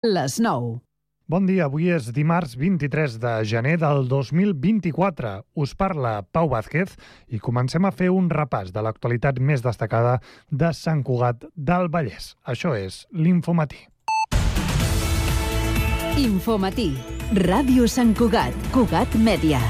Les 9. Bon dia, avui és dimarts 23 de gener del 2024. Us parla Pau Vázquez i comencem a fer un repàs de l'actualitat més destacada de Sant Cugat del Vallès. Això és l'Infomatí. Infomatí. Ràdio Sant Cugat. Cugat Mèdia.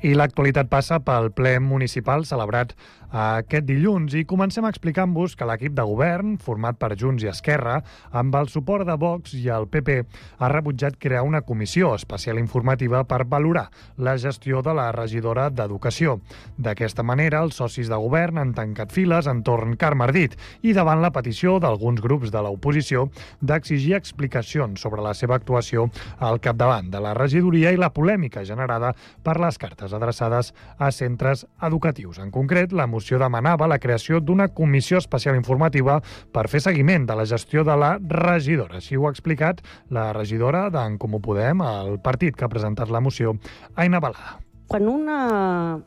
I l'actualitat passa pel ple municipal celebrat aquest dilluns i comencem explicant-vos que l'equip de govern, format per Junts i Esquerra, amb el suport de Vox i el PP, ha rebutjat crear una comissió especial informativa per valorar la gestió de la regidora d'Educació. D'aquesta manera, els socis de govern han tancat files entorn Carme Ardit i davant la petició d'alguns grups de l'oposició d'exigir explicacions sobre la seva actuació al capdavant de la regidoria i la polèmica generada per les cartes adreçades a centres educatius. En concret, la moció demanava la creació d'una comissió especial informativa per fer seguiment de la gestió de la regidora. Així ho ha explicat la regidora d'en Comú Podem, el partit que ha presentat la moció, Aina Balada. Quan una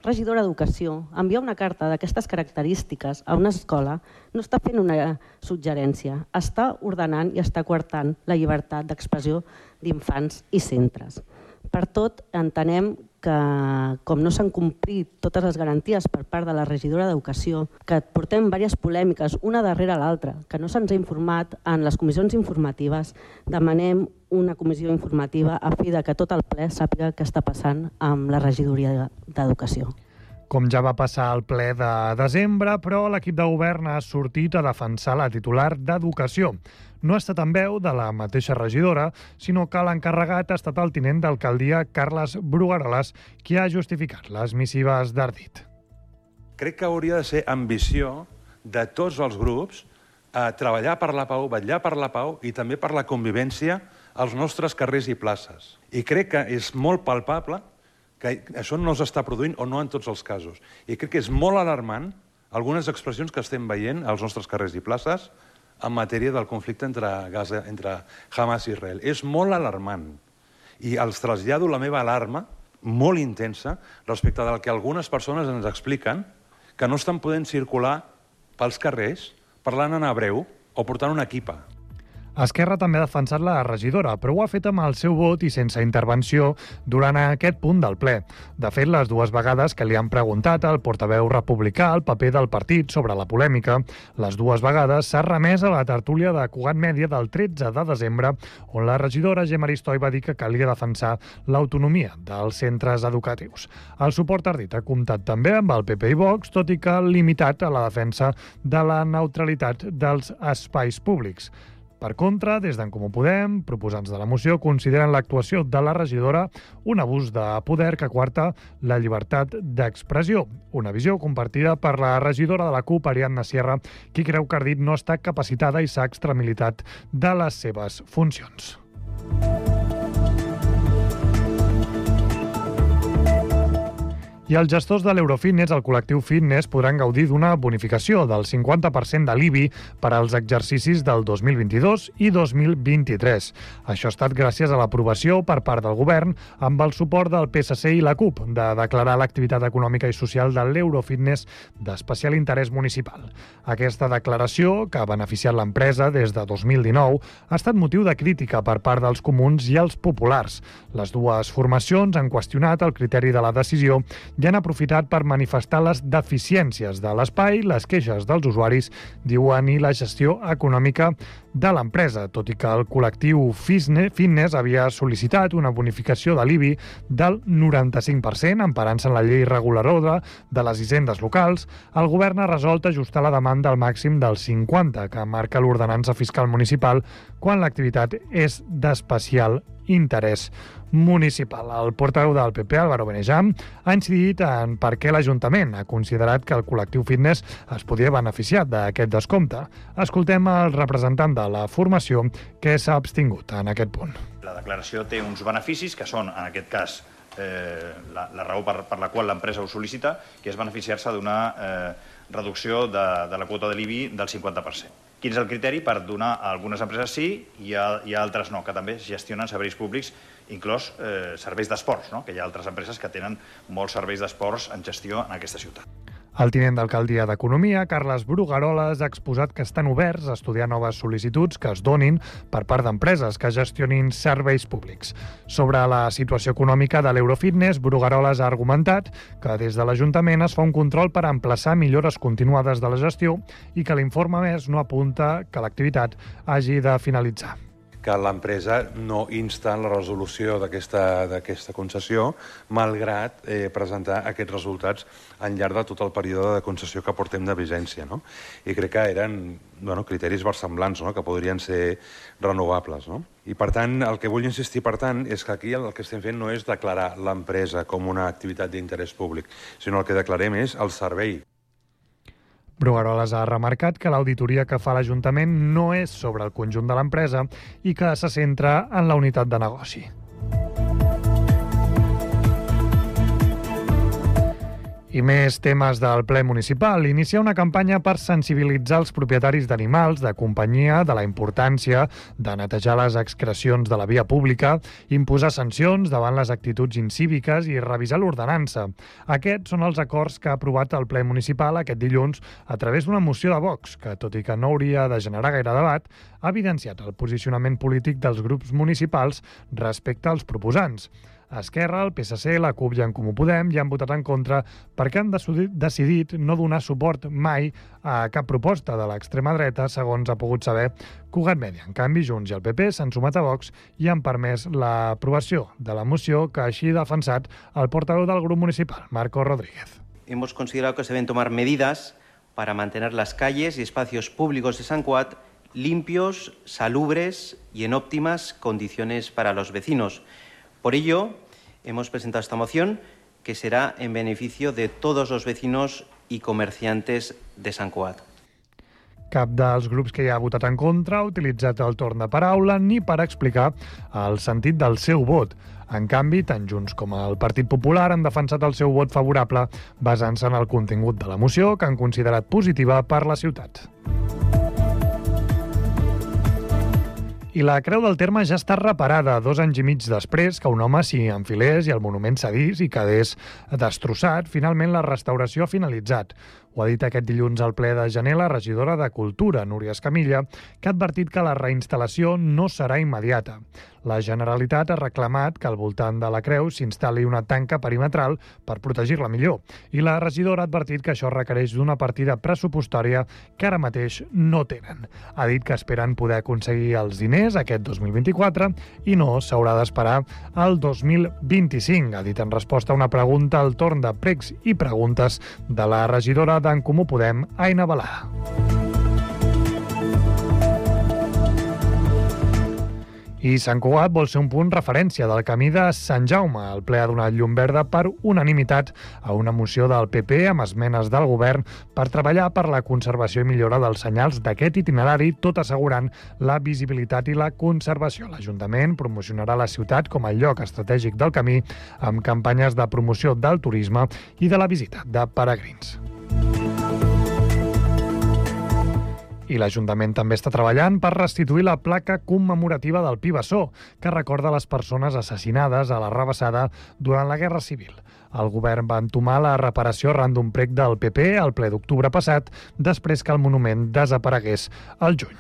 regidora d'Educació envia una carta d'aquestes característiques a una escola, no està fent una suggerència, està ordenant i està coartant la llibertat d'expressió d'infants i centres. Per tot, entenem que, com no s'han complit totes les garanties per part de la regidora d'Educació, que portem diverses polèmiques, una darrere l'altra, que no se'ns ha informat en les comissions informatives, demanem una comissió informativa a fi de que tot el ple sàpiga què està passant amb la regidoria d'Educació. Com ja va passar al ple de desembre, però l'equip de govern ha sortit a defensar la titular d'Educació. No ha estat en veu de la mateixa regidora, sinó que l'encarregat ha estat el tinent d'alcaldia Carles Brugueroles, qui ha justificat les missives d'Ardit. Crec que hauria de ser ambició de tots els grups a treballar per la pau, vetllar per la pau i també per la convivència als nostres carrers i places. I crec que és molt palpable que això no s'està produint o no en tots els casos. I crec que és molt alarmant algunes expressions que estem veient als nostres carrers i places en matèria del conflicte entre Gaza, entre Hamas i Israel. És molt alarmant. I els trasllado la meva alarma molt intensa respecte del que algunes persones ens expliquen que no estan podent circular pels carrers parlant en hebreu o portant una equipa. Esquerra també ha defensat la regidora, però ho ha fet amb el seu vot i sense intervenció durant aquest punt del ple. De fet, les dues vegades que li han preguntat al portaveu republicà el paper del partit sobre la polèmica, les dues vegades s'ha remès a la tertúlia de Cugat Mèdia del 13 de desembre, on la regidora Gemma Aristoi va dir que calia defensar l'autonomia dels centres educatius. El suport ardit ha comptat també amb el PP i Vox, tot i que limitat a la defensa de la neutralitat dels espais públics. Per contra, des d'en Comú Podem, proposants de la moció consideren l'actuació de la regidora un abús de poder que coarta la llibertat d'expressió. Una visió compartida per la regidora de la CUP, Ariadna Sierra, qui creu que Ardit no està capacitada i s'ha extramilitat de les seves funcions. I els gestors de l'Eurofitness, el col·lectiu Fitness, podran gaudir d'una bonificació del 50% de l'IBI per als exercicis del 2022 i 2023. Això ha estat gràcies a l'aprovació per part del govern, amb el suport del PSC i la CUP, de declarar l'activitat econòmica i social de l'Eurofitness d'especial interès municipal. Aquesta declaració, que ha beneficiat l'empresa des de 2019, ha estat motiu de crítica per part dels comuns i els populars. Les dues formacions han qüestionat el criteri de la decisió i han aprofitat per manifestar les deficiències de l'espai, les queixes dels usuaris, diuen, i la gestió econòmica de l'empresa, tot i que el col·lectiu Fitness havia sol·licitat una bonificació de l'IBI del 95%, emparant-se en la llei reguladora de les hisendes locals. El govern ha resolt ajustar la demanda al màxim del 50%, que marca l'ordenança fiscal municipal, quan l'activitat és d'especial interès municipal. El portaveu del PP, Álvaro Benejam, ha incidit en per què l'Ajuntament ha considerat que el col·lectiu Fitness es podia beneficiar d'aquest descompte. Escoltem el representant de la formació que s'ha abstingut en aquest punt. La declaració té uns beneficis que són, en aquest cas, la raó per la qual l'empresa ho sol·licita, que és beneficiar-se d'una reducció de la quota de l'IBI del 50%. Quin és el criteri per donar a algunes empreses sí i a altres no, que també gestionen serveis públics, inclòs serveis d'esports, no? Que hi ha altres empreses que tenen molts serveis d'esports en gestió en aquesta ciutat. El tinent d'alcaldia d'Economia, Carles Brugueroles, ha exposat que estan oberts a estudiar noves sol·licituds que es donin per part d'empreses que gestionin serveis públics. Sobre la situació econòmica de l'Eurofitness, Brugueroles ha argumentat que des de l'Ajuntament es fa un control per emplaçar millores continuades de la gestió i que l'informe més no apunta que l'activitat hagi de finalitzar. Que l'empresa no insta en la resolució d'aquesta concessió, malgrat presentar aquests resultats al llarg de tot el període de concessió que portem de vigència. No? I crec que eren criteris versemblants, no? Que podrien ser renovables. No? I, per tant, el que vull insistir, per tant, és que aquí el que estem fent no és declarar l'empresa com una activitat d'interès públic, sinó el que declarem és el servei. Brugueroles ha remarcat que l'auditoria que fa l'Ajuntament no és sobre el conjunt de l'empresa i que se centra en la unitat de negoci. I més temes del ple municipal. Inicia una campanya per sensibilitzar els propietaris d'animals de companyia de la importància de netejar les excrecions de la via pública, imposar sancions davant les actituds incíviques i revisar l'ordenança. Aquests són els acords que ha aprovat el ple municipal aquest dilluns a través d'una moció de Vox, que, tot i que no hauria de generar gaire debat, ha evidenciat el posicionament polític dels grups municipals respecte als proposants. Esquerra, el PSC, la CUP i en Comú Podem ja han votat en contra perquè han decidit no donar suport mai a cap proposta de l'extrema dreta, segons ha pogut saber Cugat Mèdia. En canvi, Junts i el PP s'han sumat a Vox i han permès l'aprovació de la moció que així ha defensat el portaveu del grup municipal, Marco Rodríguez. Hemos considerado que se deben tomar medidas para mantener las calles y espacios públicos de Sant Cugat limpios, salubres y en óptimas condiciones para los vecinos. Por ello, hemos presentado esta moción que será en beneficio de todos los vecinos y comerciantes de Sant Cugat. Cap dels grups que hi ha votat en contra ha utilitzat el torn de paraula ni per explicar el sentit del seu vot. En canvi, tant Junts com el Partit Popular han defensat el seu vot favorable basant-se en el contingut de la moció, que han considerat positiva per la ciutat. I la Creu del Terme ja està reparada 2 anys i mig després que un home s'hi enfilés i el monument cedís i quedés destrossat. Finalment, la restauració ha finalitzat. Ho ha dit aquest dilluns al ple de gener la regidora de Cultura, Núria Escamilla, que ha advertit que la reinstal·lació no serà immediata. La Generalitat ha reclamat que al voltant de la creu s'instal·li una tanca perimetral per protegir-la millor. I la regidora ha advertit que això requereix d'una partida pressupostària que ara mateix no tenen. Ha dit que esperen poder aconseguir els diners aquest 2024 i no s'haurà d'esperar al 2025, ha dit en resposta a una pregunta al torn de pregs i preguntes de la regidora d'en Comú Podem, Aina Balada. I Sant Cugat vol ser un punt referència del camí de Sant Jaume. El ple ha donat llum verda per unanimitat a una moció del PP amb esmenes del govern per treballar per la conservació i millora dels senyals d'aquest itinerari, tot assegurant la visibilitat i la conservació. L'Ajuntament promocionarà la ciutat com a lloc estratègic del camí amb campanyes de promoció del turisme i de la visita de peregrins. I l'Ajuntament també està treballant per restituir la placa commemorativa del Pi Bessó, que recorda les persones assassinades a la Rabassada durant la Guerra Civil. El govern va entomar la reparació arran d'un prec del PP al ple d'octubre passat, després que el monument desaparegués al juny.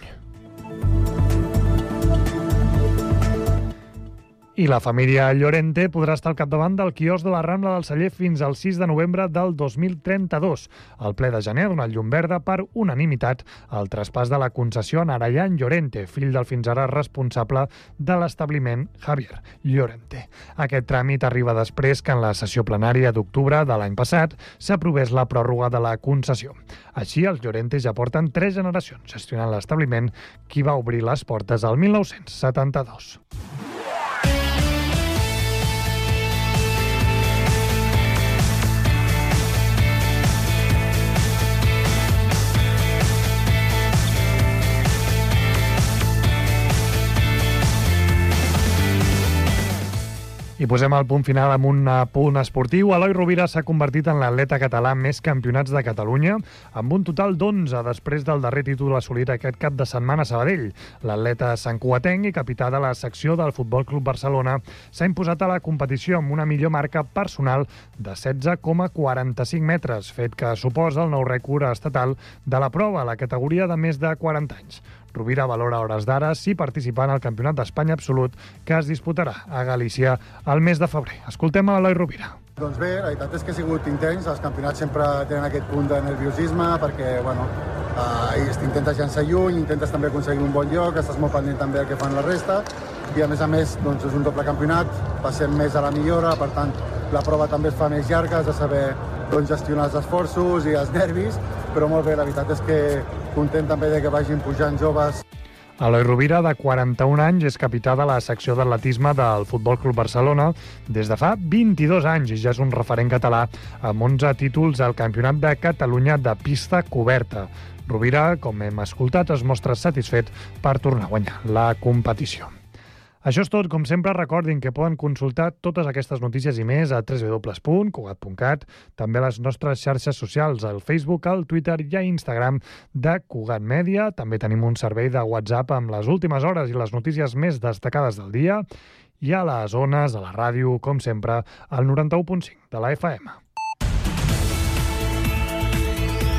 I la família Llorente podrà estar al capdavant del quiosc de la Rambla del Celler fins al 6 de novembre del 2032. El ple de gener ha donat llum verda per unanimitat al traspàs de la concessió a Narayan Llorente, fill del fins ara responsable de l'establiment Javier Llorente. Aquest tràmit arriba després que en la sessió plenària d'octubre de l'any passat s'aprovés la pròrroga de la concessió. Així, els Llorente ja porten 3 generacions gestionant l'establiment, qui va obrir les portes al 1972. I posem el punt final amb un punt esportiu. Eloi Rovira s'ha convertit en l'atleta català amb més campionats de Catalunya, amb un total d'11 després del darrer títol assolit aquest cap de setmana a Sabadell. L'atleta santcugatenc i capità de la secció del Futbol Club Barcelona s'ha imposat a la competició amb una millor marca personal de 16,45 metres, fet que suposa el nou rècord estatal de la prova a la categoria de més de 40 anys. Rovira valora a hores d'ara si participar en el Campionat d'Espanya absolut que es disputarà a Galícia el mes de febrer. Escoltem a Eloi Rovira. Doncs bé, la veritat és que ha sigut intens. Els campionats sempre tenen aquest punt de nerviosisme perquè, intentes llançar lluny, intentes també aconseguir un bon lloc, estàs molt pendent també del que fan la resta i a més, doncs, és un doble campionat, passem més a la millora, per tant, la prova també es fa més llarga, has de saber gestionar els esforços i els nervis, però molt bé, la veritat és que content també de que vagin pujant joves. Eloi Rovira, de 41 anys, és capità de la secció d'atletisme del Futbol Club Barcelona des de fa 22 anys i ja és un referent català amb 11 títols al Campionat de Catalunya de pista coberta. Rovira, com hem escoltat, es mostra satisfet per tornar a guanyar la competició. Això és tot. Com sempre, recordin que poden consultar totes aquestes notícies i més a www.cugat.cat, també a les nostres xarxes socials, al Facebook, al Twitter i a Instagram de Cugat Mèdia. També tenim un servei de WhatsApp amb les últimes hores i les notícies més destacades del dia. I a les ones, a la ràdio, com sempre, al 91.5 de la FM.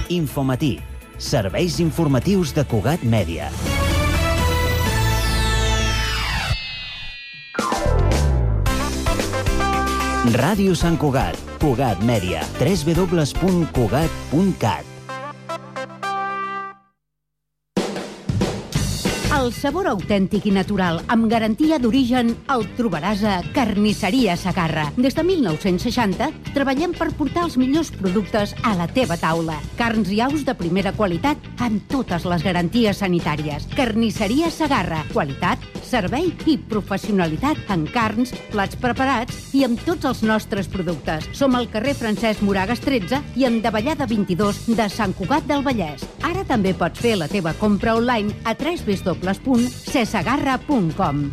Infomatí. Serveis informatius de Cugat Mèdia. Ràdio Sant Cugat, Cugat Mèdia, www.cugat.cat. El sabor autèntic i natural, amb garantia d'origen, el trobaràs a Carnisseria Segarra. Des de 1960 treballem per portar els millors productes a la teva taula. Carns i aus de primera qualitat amb totes les garanties sanitàries. Carnisseria Segarra. Qualitat, servei i professionalitat en carns, plats preparats i amb tots els nostres productes. Som al carrer Francesc Moragas 13 i en Davallada 22 de Sant Cugat del Vallès. Ara també pots fer la teva compra online a www.cesegarra.com.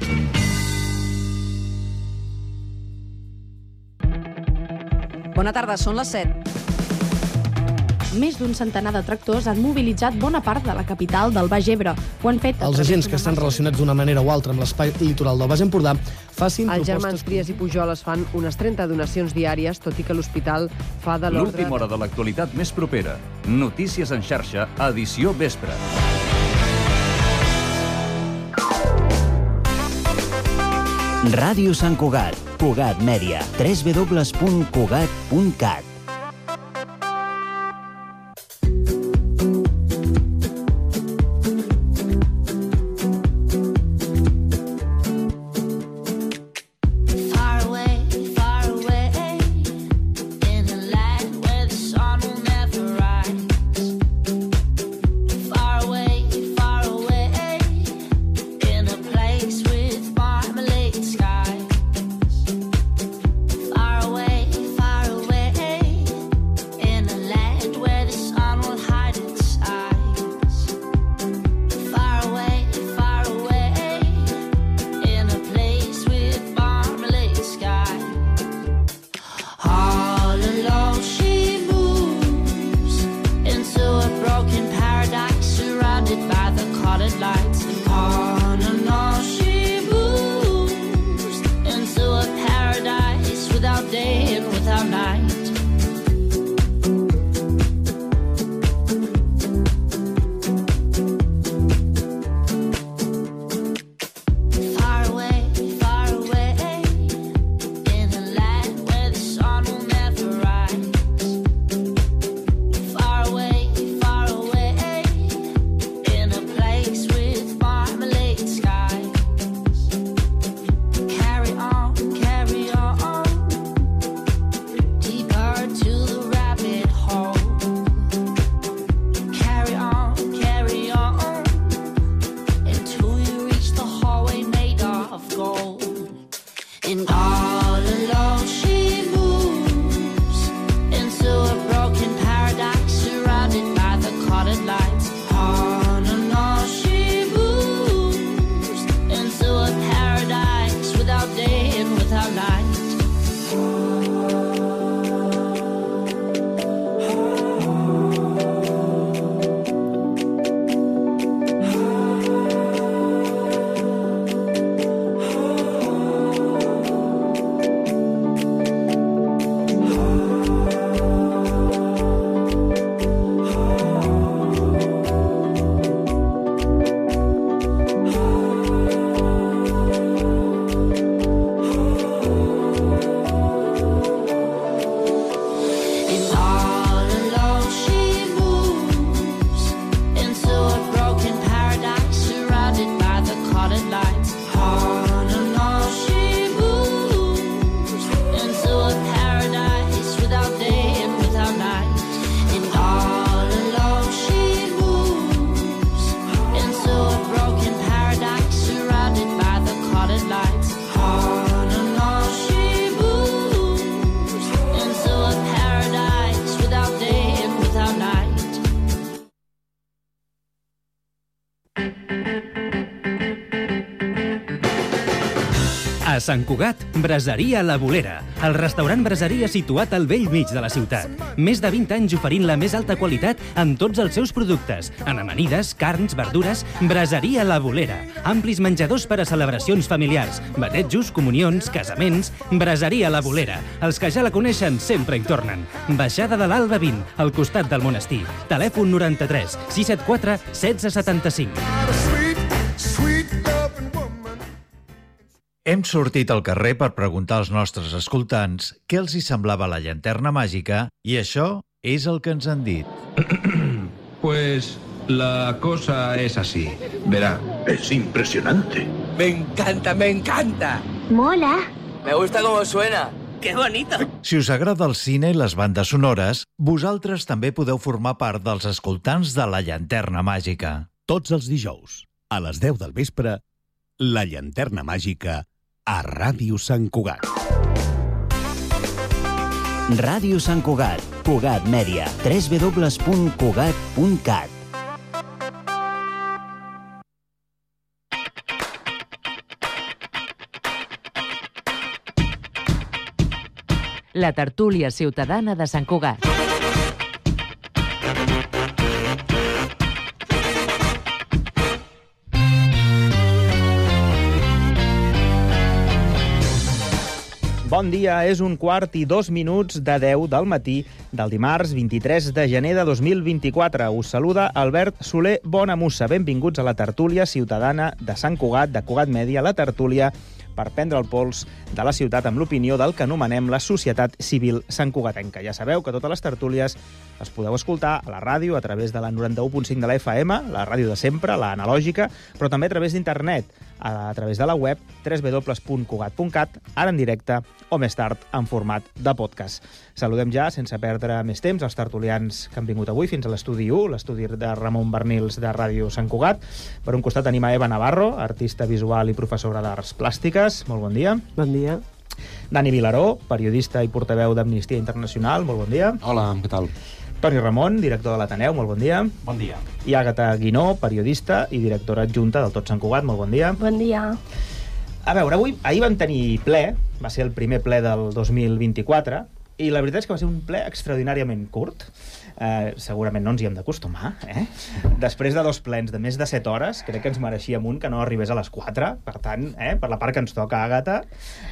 Bona tarda, són les 7. Més d'un centenar de tractors han mobilitzat bona part de la capital del Baix Ebre. Ho han fet els agents que estan relacionats d'una manera o altra amb l'espai litoral del Baix Empordà facin propostes... Els germans Trias i Pujol es fan unes 30 donacions diàries, tot i que l'hospital fa de l'ordre... L'última hora de l'actualitat més propera. Notícies en xarxa, edició vespre. Ràdio Sant Cugat, Cugat Mèdia, www.cugat.cat. A Sant Cugat, Braseria La Bolera, el restaurant braseria situat al vell mig de la ciutat. Més de 20 anys oferint la més alta qualitat en tots els seus productes. En amanides, carns, verdures, Braseria La Bolera. Amplis menjadors per a celebracions familiars, batejos, comunions, casaments. Braseria La Bolera. Els que ja la coneixen sempre hi tornen. Baixada de l'Alba 20, al costat del monestir. Telèfon 93 674 1675. Hem sortit al carrer per preguntar als nostres escoltants què els hi semblava la llanterna màgica i això és el que ens han dit. Pues la cosa es así. Verá, es impresionante. Me encanta, me encanta. Mola. Me gusta cómo suena. ¡Qué bonito! Si us agrada el cine i les bandes sonores, vosaltres també podeu formar part dels escoltants de la llanterna màgica. Tots els dijous, a les 10 del vespre, la llanterna màgica a Ràdio Sant Cugat. Ràdio Sant Cugat, Cugat Mèdia, www.cugat.cat. La tertúlia ciutadana de Sant Cugat. Bon dia, és 1:02 de 10 del matí del dimarts 23 de gener de 2024. Us saluda Albert Soler Bonamussa. Benvinguts a la tertúlia ciutadana de Sant Cugat, de Cugat Mèdia, la tertúlia per prendre el pols de la ciutat amb l'opinió del que anomenem la societat civil santcugatenca. Ja sabeu que totes les tertúlies les podeu escoltar a la ràdio a través de la 91.5 de la FM, la ràdio de sempre, la analògica, però també a través d'internet, a través de la web www.cugat.cat, ara en directe o més tard en format de podcast. Saludem ja, sense perdre més temps, els tertulians que han vingut avui fins a l'estudi 1, l'estudi de Ramon Bernils de Ràdio Sant Cugat. Per un costat tenim a Eva Navarro, artista visual i professora d'arts plàstiques. Molt bon dia. Bon dia. Dani Vilaró, periodista i portaveu d'Amnistia Internacional. Molt bon dia. Hola, què tal? Toni Ramon, director de l'Ateneu. Molt bon dia. Bon dia. I Àgata Guinó, periodista i directora adjunta del Tot Sant Cugat. Molt bon dia. Bon dia. A veure, ahir vam tenir ple, va ser el primer ple del 2024, i la veritat és que va ser un ple extraordinàriament curt. Segurament no ens hi hem d'acostumar, Després de 2 plens de més de 7 hores, crec que ens mereixíem un que no arribés a les 4. Per tant, per la part que ens toca, Àgata,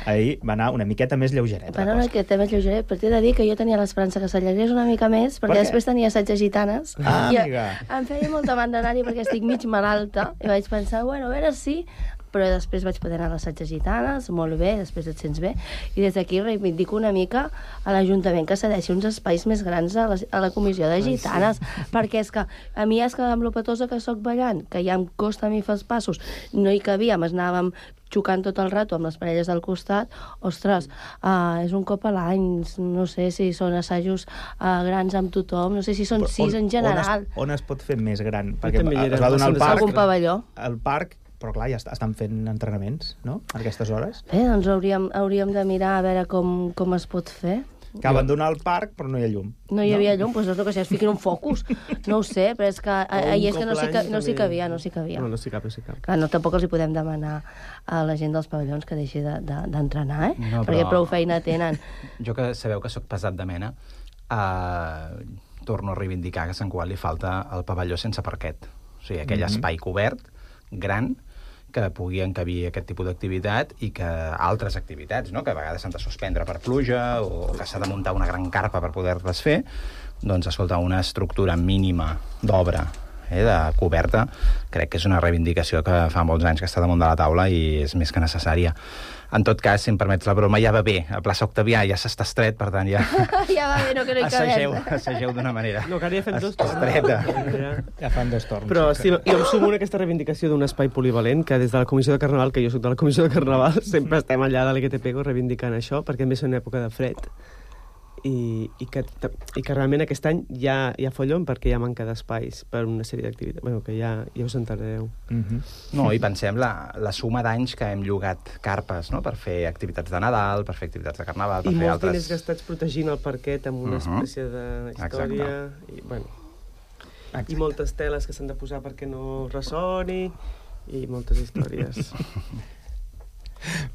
ahir va anar una miqueta més lleugereta. Va anar una miqueta més lleugeret, però t'he de dir que jo tenia l'esperança que s'allargués una mica més, perquè després tenia assaig de gitanes. Amiga. Em feia molt de mandra anar-hi perquè estic mig malalta, i vaig pensar, bueno, a veure si... però després vaig poder anar a l'assaig de gitanes, molt bé, després et sents bé, i des d'aquí reivindico una mica a l'Ajuntament que cedeixi uns espais més grans a la comissió de gitanes, perquè és que a mi és que amb lo petosa que soc ballant, que ja em costa a mi fer els passos, no hi cabíem, anàvem xocant tot el rato amb les parelles del costat, ostres, és un cop a l'any, no sé si són assajos grans amb tothom, no sé si són 6 en general. On es pot fer més gran? Perquè es va donar algun pavelló. El parc, però clar, ja estan fent entrenaments, no?, a aquestes hores. Bé, doncs hauríem de mirar a veure com es pot fer. Que abandonar el parc, però no hi ha llum. No hi havia llum, doncs és el que es fiquin un focus. No ho sé, però és que ahir és que no s'hi cabia. No, no s'hi cap. Clar, no, tampoc els hi podem demanar a la gent dels pavellons que deixi d'entrenar, No, perquè prou feina tenen. Jo que sabeu que sóc pesat de mena, torno a reivindicar que a Sant Cugat li falta el pavelló sense parquet. O sigui, aquell espai cobert, gran, que pugui encabir aquest tipus d'activitat i que altres activitats, no?, que a vegades s'han de suspendre per pluja o que s'ha de muntar una gran carpa per poder-les fer, doncs, escolta, una estructura mínima d'obra de coberta, crec que és una reivindicació que fa molts anys que està damunt de la taula i és més que necessària. En tot cas, si em permets la broma, ja va bé. A plaça Octavià ja s'està estret, per tant, ja... Ja va bé, no que no hi cabem. Assageu d'una manera. No, que ara ja fem 2 torns. Estreta. Ja fan 2 torns. Però sí, jo em sumo a aquesta reivindicació d'un espai polivalent, que des de la Comissió de Carnaval, que jo soc de la Comissió de Carnaval, sempre estem allà de l'LGTPEGO reivindicant això, perquè a més és una època de fred. I que realment aquest any ja follon perquè hi ha manca d'espais per una sèrie d'activitats. Bueno, que ja us entenedeu. No, i pensem la suma d'anys que hem llogat carpes, no?, per fer activitats de Nadal, per fer activitats de Carnaval, per fer altres... I molts diners gastats protegint el parquet amb una espècie de història. I moltes teles que s'han de posar perquè no ressoni, i moltes històries.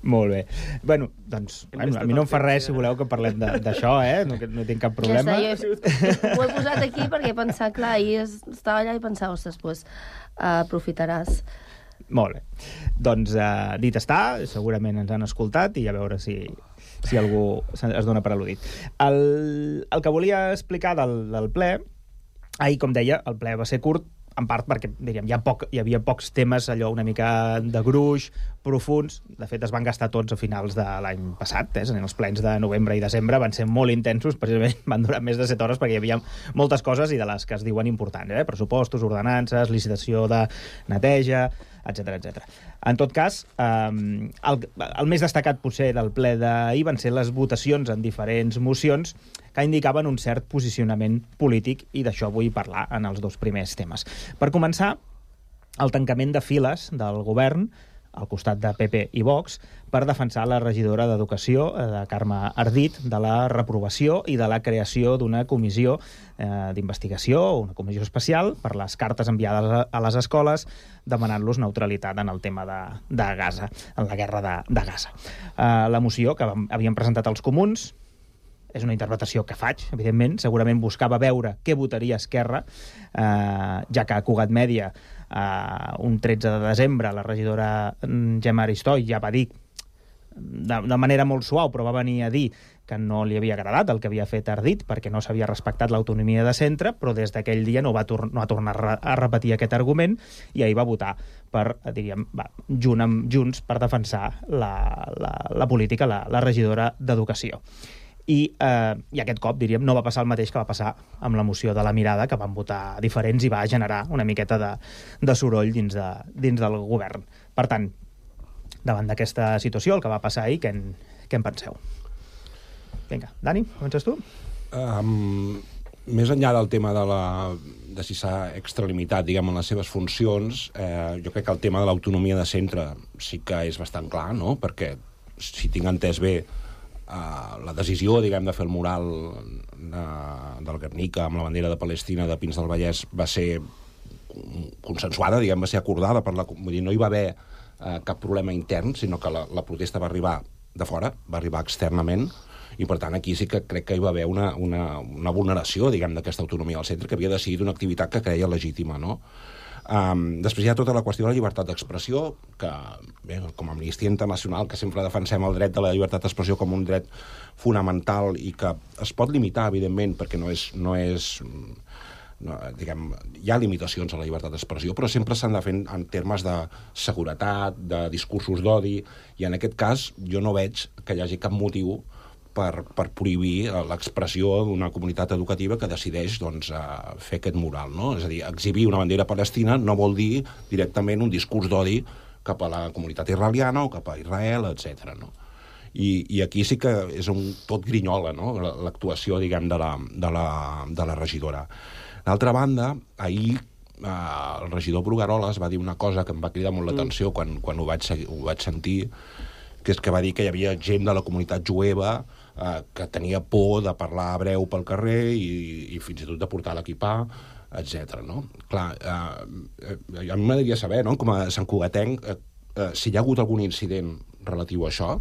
Molt bé. Bueno, doncs, a mi no em fa res si voleu que parlem d'això, no tinc cap problema. Ja està, ho he posat aquí perquè he pensat, clar, ahir estava allà i pensava, ostres, doncs aprofitaràs. Molt bé. Doncs dit està, segurament ens han escoltat i a veure si algú es dona per al·ludit. El que volia explicar del ple, ahir, com deia, el ple va ser curt, en part perquè, diríem, hi havia pocs temes allò una mica de gruix, profuns. De fet, es van gastar tots a finals de l'any passat, en els plens de novembre i desembre, van ser molt intensos, precisament van durar més de 7 hores perquè hi havia moltes coses i de les que es diuen importants, pressupostos, ordenances, licitació de neteja, etc. En tot cas, el més destacat potser del ple d'ahir van ser les votacions en diferents mocions que indicaven un cert posicionament polític, i d'això vull parlar en els 2 primers temes. Per començar, el tancament de files del govern al costat de PP i Vox per defensar la regidora d'Educació, de Carme Ardit, de la reprovació i de la creació d'una comissió d'investigació, una comissió especial per les cartes enviades a les escoles demanant-los neutralitat en el tema de Gaza, en la guerra de Gaza. La moció que havien presentat els comuns és una interpretació que faig, evidentment. Segurament buscava veure què votaria Esquerra, ja que a Cugat Mèdia, un 13 de desembre, la regidora Gemma Aristoi ja va dir, de manera molt suau, però va venir a dir que no li havia agradat el que havia fet Ardit perquè no s'havia respectat l'autonomia de centre, però des d'aquell dia no va tornar a repetir aquest argument i ahir va votar per, diríem, junt amb Junts per defensar la política, la regidora d'Educació. I aquest cop, diríem, no va passar el mateix que va passar amb la moció de la mirada, que van votar diferents i va generar una miqueta de soroll dins del govern. Per tant, davant d'aquesta situació, el que va passar ahir, què en penseu? Vinga, Dani, comences tu? Més enllà del tema de si s'ha extralimitat, diguem, en les seves funcions, jo crec que el tema de l'autonomia de centre sí que és bastant clar, no? Perquè, si tinc entès bé, la decisió, diguem, de fer el mural del Guernica amb la bandera de Palestina de Pins del Vallès va ser consensuada, diguem, va ser acordada vull dir, no hi va haver cap problema intern, sinó que la protesta va arribar de fora, va arribar externament, i per tant aquí sí que crec que hi va haver una vulneració, diguem, d'aquesta autonomia del centre, que havia decidit una activitat que creia legítima, no? Després hi ha tota la qüestió de la llibertat d'expressió, que, bé, com a Amnistia Internacional, que sempre defensem el dret de la llibertat d'expressió com un dret fonamental i que es pot limitar, evidentment, perquè diguem, hi ha limitacions a la llibertat d'expressió, però sempre s'han de fer en termes de seguretat, de discursos d'odi, i en aquest cas jo no veig que hi hagi cap motiu per prohibir l'expressió d'una comunitat educativa que decideix, doncs, fer aquest mural, no? És a dir, exhibir una bandera palestina no vol dir directament un discurs d'odi cap a la comunitat israeliana o cap a Israel, etc. No? I aquí sí que és tot grinyola, no? L'actuació, diguem, de la regidora. D'altra banda, ahir el regidor Brugueroles va dir una cosa que em va cridar molt l'atenció quan ho vaig sentir, que és que va dir que hi havia gent de la comunitat jueva que tenia por de parlar hebreu pel carrer i fins i tot de portar l'equipà, etc. No? Clar, a mi m'agradaria saber, no? Com a santcugatenc, si hi ha hagut algun incident relatiu a això,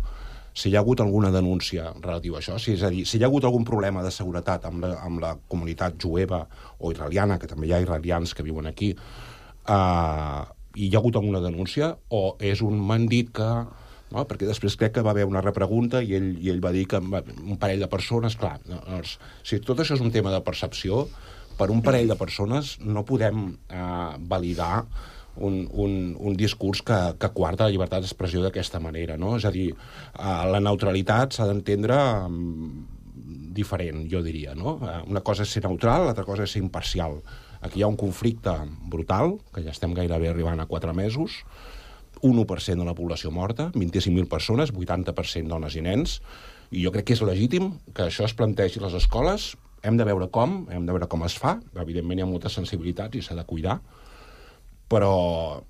si hi ha hagut alguna denúncia relativa a això, és a dir, si hi ha hagut algun problema de seguretat amb la comunitat jueva o israeliana, que també hi ha israelians que viuen aquí, hi ha hagut alguna denúncia, o és un m'han dit que... No? Perquè després crec que va haver una repregunta i ell va dir que un parell de persones... Clar, doncs, si tot això és un tema de percepció, per un parell de persones no podem validar un discurs que coarta la llibertat d'expressió d'aquesta manera, no? És a dir, la neutralitat s'ha d'entendre diferent, jo diria, no? Una cosa és ser neutral, l'altra cosa és ser imparcial. Aquí hi ha un conflicte brutal, que ja estem gairebé arribant a 4 mesos, 1% de la població morta, 25.000 persones, 80% dones i nens, i jo crec que és legítim que això es plantegi a les escoles. Hem de veure com es fa, evidentment hi ha moltes sensibilitats i s'ha de cuidar, però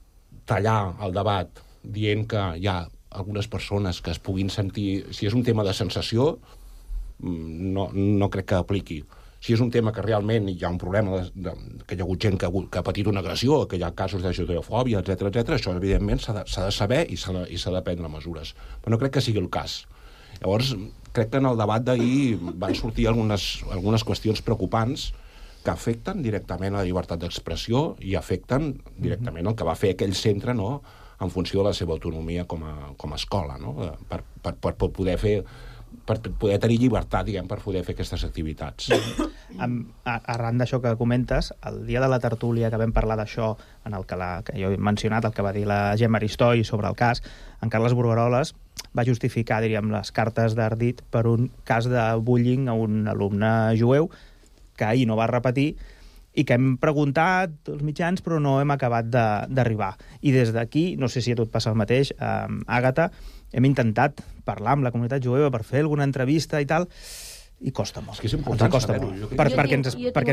tallar el debat dient que hi ha algunes persones que es puguin sentir... Si és un tema de sensació, no crec que apliqui. Si és un tema que realment hi ha un problema, que hi ha hagut gent que ha patit una agressió, que hi ha casos de judeofòbia, etc, això evidentment s'ha de saber i s'ha de prendre mesures. Però no crec que sigui el cas. Llavors, crec que en el debat d'ahir van sortir algunes qüestions preocupants que afecten directament a la llibertat d'expressió i afecten directament el que va fer aquell centre, no?, en funció de la seva autonomia com a escola, no?, per poder tenir llibertat, diguem, per poder fer aquestes activitats. Arran d'això que comentes, el dia de la tertúlia que vam parlar d'això, en el que jo he mencionat, el que va dir la Gemma Aristoi sobre el cas, en Carles Burgaroles va justificar, diríem, les cartes d'Ardit per un cas de bullying a un alumne jueu que ahir no va repetir i que hem preguntat als mitjans però no hem acabat d'arribar. I des d'aquí, no sé si a tu et passa el mateix, Àgata, hem intentat parlar amb la comunitat jueva per fer alguna entrevista i tal, i costa molt. És que és important saber-ho. Perquè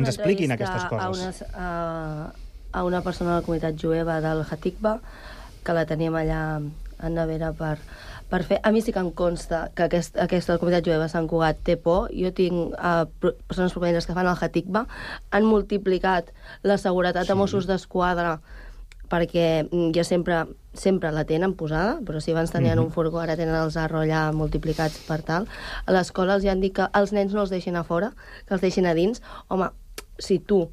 ens expliquin aquestes coses. A una persona de la comunitat jueva del Hatikva, que la teníem allà en nevera per fer. A mi sí que em consta que aquesta comunitat jueva de Sant Cugat té por. Jo tinc persones provinents que fan el Hatikva, han multiplicat la seguretat de Mossos d'Esquadra perquè ja sempre la tenen posada, però si abans tenien un furgó, ara tenen els Arro allà multiplicats per tal. A l'escola els han dit que els nens no els deixin a fora, que els deixin a dins. Home, si tu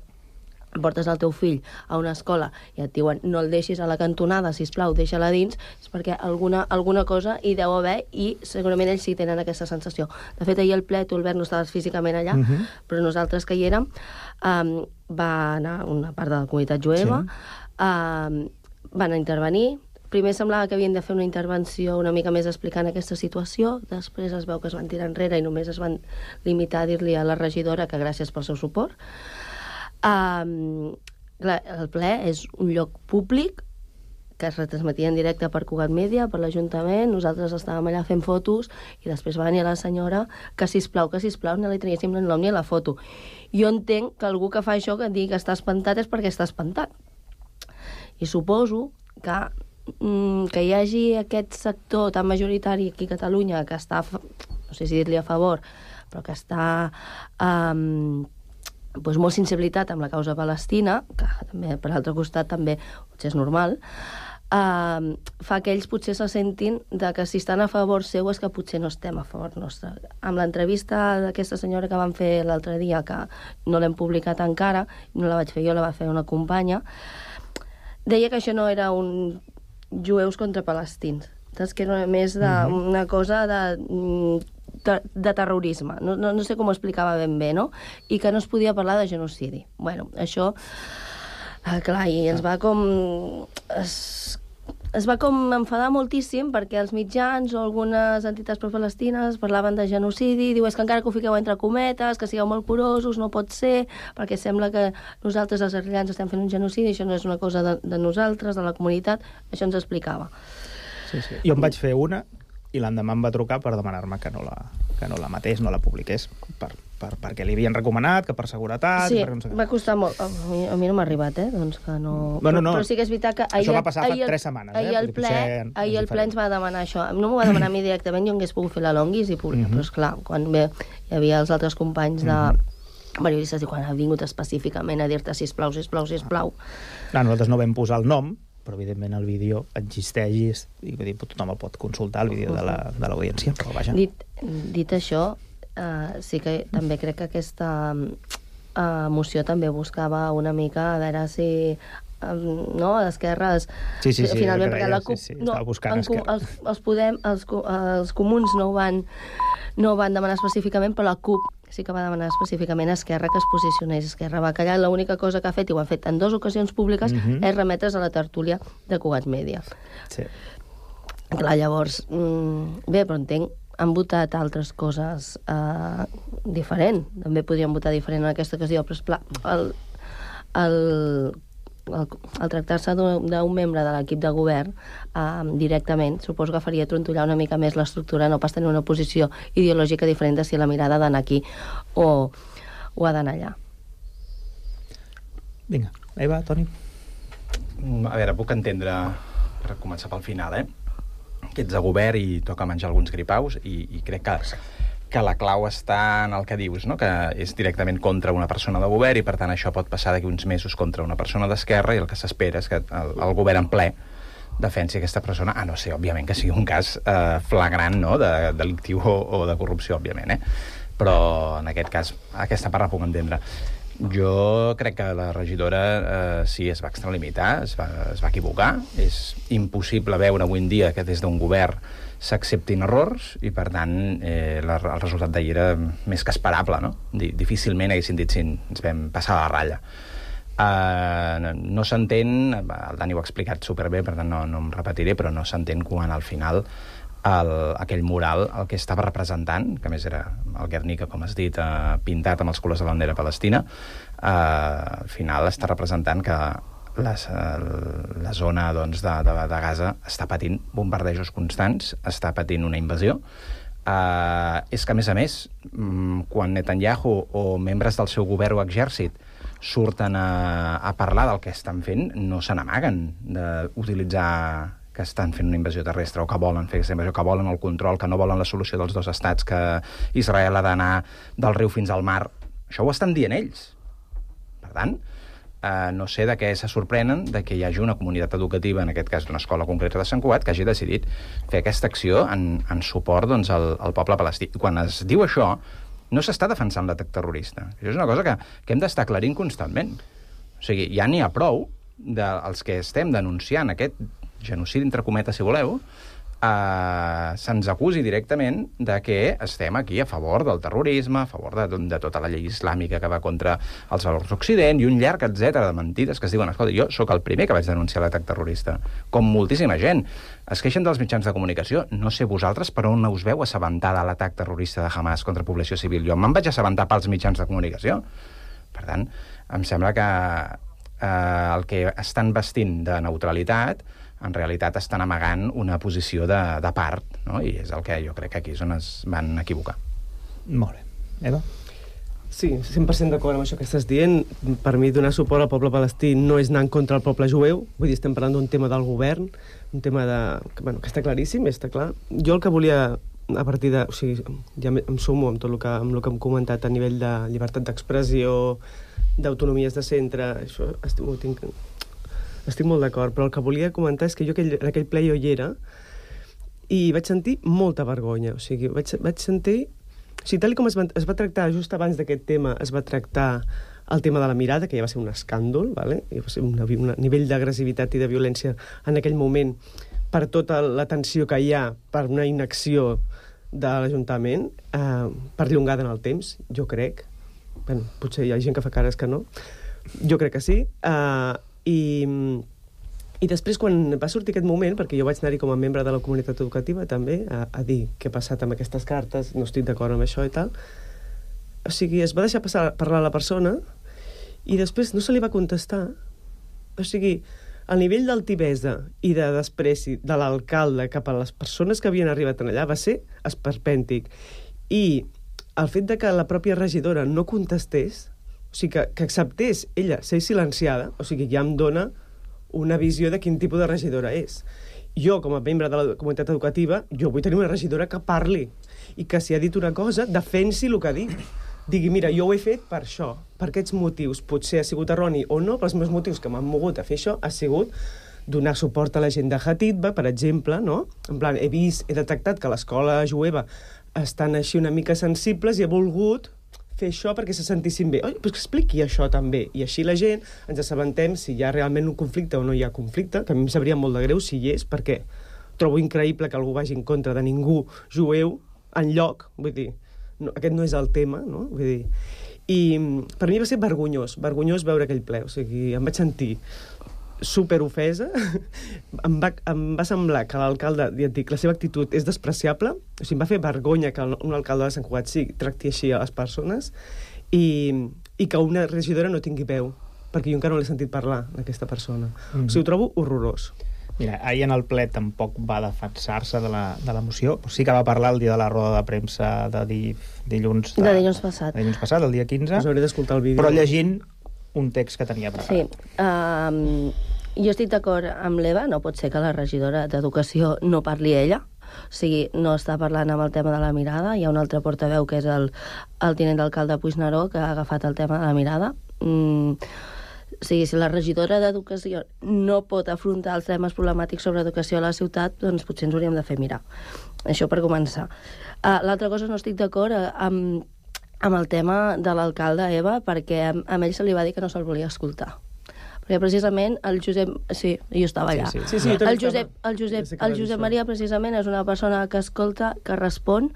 portes el teu fill a una escola i et diuen no el deixis a la cantonada, sisplau, deixa-la dins, és perquè alguna cosa hi deu haver i segurament ells sí tenen aquesta sensació. De fet, ahir al ple, tu, Albert, no estaves físicament allà, però nosaltres que hi érem, va anar una part de la comunitat jueva, van intervenir. Primer semblava que havien de fer una intervenció una mica més explicant aquesta situació, després es veu que es van tirar enrere i només es van limitar a dir-li a la regidora que gràcies pel seu suport. El ple és un lloc públic que es retransmetia en directe per Cugat Mèdia, per l'Ajuntament, nosaltres estàvem allà fent fotos i després va venir la senyora que sisplau, no li traguéssim el nom ni a la foto. Jo entenc que algú que fa això que digui que està espantat és perquè està espantat. I suposo que hi hagi aquest sector tan majoritari aquí a Catalunya que està, no sé si dir-li a favor, però que està molt sensibilitat amb la causa palestina, que també, per l'altre costat també potser és normal, fa que ells potser se sentin que si estan a favor seu és que potser no estem a favor nostre. Amb l'entrevista d'aquesta senyora que van fer l'altre dia, que no l'hem publicat encara, no la vaig fer jo, la va fer una companya, deia que això no era un jueus contra palestins, que era més una cosa de terrorisme. No sé com ho explicava ben bé, no? I que no es podia parlar de genocidi. Bueno, això, clar, i ens va com... Es va com enfadar moltíssim perquè els mitjans o algunes entitats pro-palestines parlaven de genocidi, diu, és que encara que ho fiqueu entre cometes, que sigueu molt curosos, no pot ser, perquè sembla que nosaltres, els israelians, estem fent un genocidi, això no és una cosa de nosaltres, de la comunitat, això ens explicava. Sí. Jo em vaig fer una i l'endemà em va trucar per demanar-me que no la matés, no la publiqués, perquè li havien recomanat, que per seguretat... Sí, no sé va costar molt. A mi no m'ha arribat, doncs que no... No. Però sí que és veritat que... Això va passar fa 3 setmanes, Ahir el ple ens va demanar això. No m'ho va demanar a mi directament, jo hagués pogut fer la longuis i publicar, però esclar, quan hi havia els altres companys de periodistes i quan ha vingut específicament a dir-te sisplau. Nosaltres no vam posar el nom, però evidentment el vídeo existeix i tothom el pot consultar, el vídeo de l'audiència. Dit això, sí que també crec que aquesta moció també buscava una mica a veure si l'esquerra finalment, perquè la CUP els comuns no ho van demanar específicament, però la CUP sí que va demanar específicament a Esquerra que es posicionés. Esquerra va callar, l'única cosa que ha fet, i ho han fet en 2 ocasions públiques, és remetre's a la tertúlia de Cugat Mèdia. Sí. Clar, llavors, bé, però entenc, han votat altres coses diferent. També podrien votar diferent en aquesta ocasió, però esclar, el tractar-se d'un membre de l'equip de govern directament, suposo que faria trontollar una mica més l'estructura, no pas tenir una posició ideològica diferent de si la mirada ha d'anar aquí o ha d'anar allà. Vinga, Eva, Toni. A veure, puc entendre, per començar pel final, que ets de govern i toca menjar alguns gripaus i crec que que la clau està en el que dius, no? Que és directament contra una persona de govern i, per tant, això pot passar d'aquí uns mesos contra una persona d'esquerra i el que s'espera és que el govern en ple defensi aquesta persona, a no ser, òbviament, que sigui un cas flagrant, no?, de delictiu o de corrupció, òbviament, Però, en aquest cas, aquesta part la puc entendre. Jo crec que la regidora sí, es va extralimitar, es va equivocar. És impossible veure avui en dia que des d'un govern s'acceptin errors i, per tant, el resultat d'ahir era més que esperable, no? Difícilment haguessin dit si ens vam passar la ratlla. No s'entén, el Dani ho ha explicat superbé, per tant no em repetiré, però no s'entén quan al final aquell mural el que estava representant, que a més era el Guernica, com has dit, pintat amb els colors de la bandera palestina, al final està representant que la zona doncs, de Gaza està patint bombardejos constants, està patint una invasió. És que, a més, quan Netanyahu o membres del seu govern o exèrcit surten a parlar del que estan fent, no se n'amaguen d'utilitzar que estan fent una invasió terrestre o que volen fer aquesta invasió, que volen el control, que no volen la solució dels dos estats, que Israel ha d'anar del riu fins al mar. Això ho estan dient ells. Per tant, no sé de què se sorprenen de que hi hagi una comunitat educativa, en aquest cas d'una escola concreta de Sant Cugat, que hagi decidit fer aquesta acció en suport doncs, al poble palestí. I quan es diu això, no s'està defensant l'atac terrorista. Això és una cosa que hem d'estar aclarint constantment. O sigui, ja n'hi ha prou dels que estem denunciant aquest genocidi, entre cometes, si voleu, se'ns acusi directament de que estem aquí a favor del terrorisme, a favor de tota la llei islàmica que va contra els valors d'Occident i un llarg etcètera de mentides que es diuen, escolta, jo sóc el primer que vaig denunciar l'atac terrorista, com moltíssima gent. Es queixen dels mitjans de comunicació, no sé vosaltres per on us veu assabentar de l'atac terrorista de Hamas contra població civil. Jo me'n vaig assabentar pels mitjans de comunicació. Per tant, em sembla que el que estan vestint de neutralitat en realitat estan amagant una posició de part, no? I és el que jo crec que aquí és on es van equivocar. Molt bé. Eva? Sí, 100% d'acord amb això que estàs dient. Per mi, donar suport al poble palestí no és anar en contra del poble jueu. Vull dir, estem parlant d'un tema del govern, un tema que està claríssim, està clar. Jo el que volia, a partir de... O sigui, ja em sumo amb tot el que hem comentat a nivell de llibertat d'expressió, d'autonomies de centre, això estic molt d'acord, però el que volia comentar és que jo en aquell ple jo hi era i vaig sentir molta vergonya. O sigui, vaig sentir... O sigui, tal com es va tractar just abans d'aquest tema, es va tractar el tema de la mirada, que ja va ser un escàndol, ¿vale? I va ser un nivell d'agressivitat i de violència en aquell moment per tota la tensió que hi ha per una inacció de l'Ajuntament, perllongada en el temps, jo crec. Bueno, potser hi ha gent que fa cares que no. Jo crec que sí. I després, quan va sortir aquest moment, perquè jo vaig anar-hi com a membre de la comunitat educativa també, a dir què ha passat amb aquestes cartes, no estic d'acord amb això i tal, o sigui, es va deixar parlar la persona i després no se li va contestar. O sigui, el nivell d'altivesa i de despreci de l'alcalde cap a les persones que havien arribat allà va ser esperpèntic. I el fet de que la pròpia regidora no contestés, o sigui, que acceptés ella ser silenciada, o sigui, ja em dona una visió de quin tipus de regidora és. Jo, com a membre de la comunitat educativa, jo vull tenir una regidora que parli i que si ha dit una cosa, defensi el que ha dit. Digui, mira, jo ho he fet per això, per aquests motius. Potser ha sigut erroni o no, però els meus motius que m'han mogut a fer això ha sigut donar suport a la gent de Hatitba, per exemple, no? En plan, he detectat que l'escola jueva estan així una mica sensibles i he volgut fer això perquè se sentissin bé. Oi, doncs que expliqui això també. I així la gent ens assabentem si hi ha realment un conflicte o no hi ha conflicte, que a mi em sabria molt de greu si hi és, perquè trobo increïble que algú vagi en contra de ningú jueu enlloc, vull dir, no, aquest no és el tema, no? Vull dir, i per mi va ser vergonyós veure aquell ple, o sigui, em vaig sentir superofesa, em va semblar que l'alcalde, ja et dic, la seva actitud és despreciable, o sigui, em va fer vergonya que un alcalde de Sant Cugat sí tracti així a les persones i que una regidora no tingui veu, perquè jo encara no l'he sentit parlar d'aquesta persona. O sigui, ho trobo horrorós. Mira, ahir en el ple tampoc va defensar-se de la moció, sí que va parlar el dia de la roda de premsa de dilluns passat. De dilluns passat, el dia 15. Us hauré d'escoltar el vídeo. Però llegint un text que tenia preparat. Sí. Jo estic d'acord amb l'Eva, no pot ser que la regidora d'Educació no parli ella. O sigui, no està parlant amb el tema de la mirada. Hi ha un altre portaveu, que és el tinent d'alcalde Puigneró, que ha agafat el tema de la mirada. O sigui, si la regidora d'Educació no pot afrontar els temes problemàtics sobre educació a la ciutat, doncs potser ens hauríem de fer mirar. Això per començar. L'altra cosa, no estic d'acord amb el tema de l'alcalde, Eva, perquè a ell se li va dir que no se'l volia escoltar. Perquè precisament el Josep... Sí, jo estava allà. El Josep Maria precisament és una persona que escolta, que respon,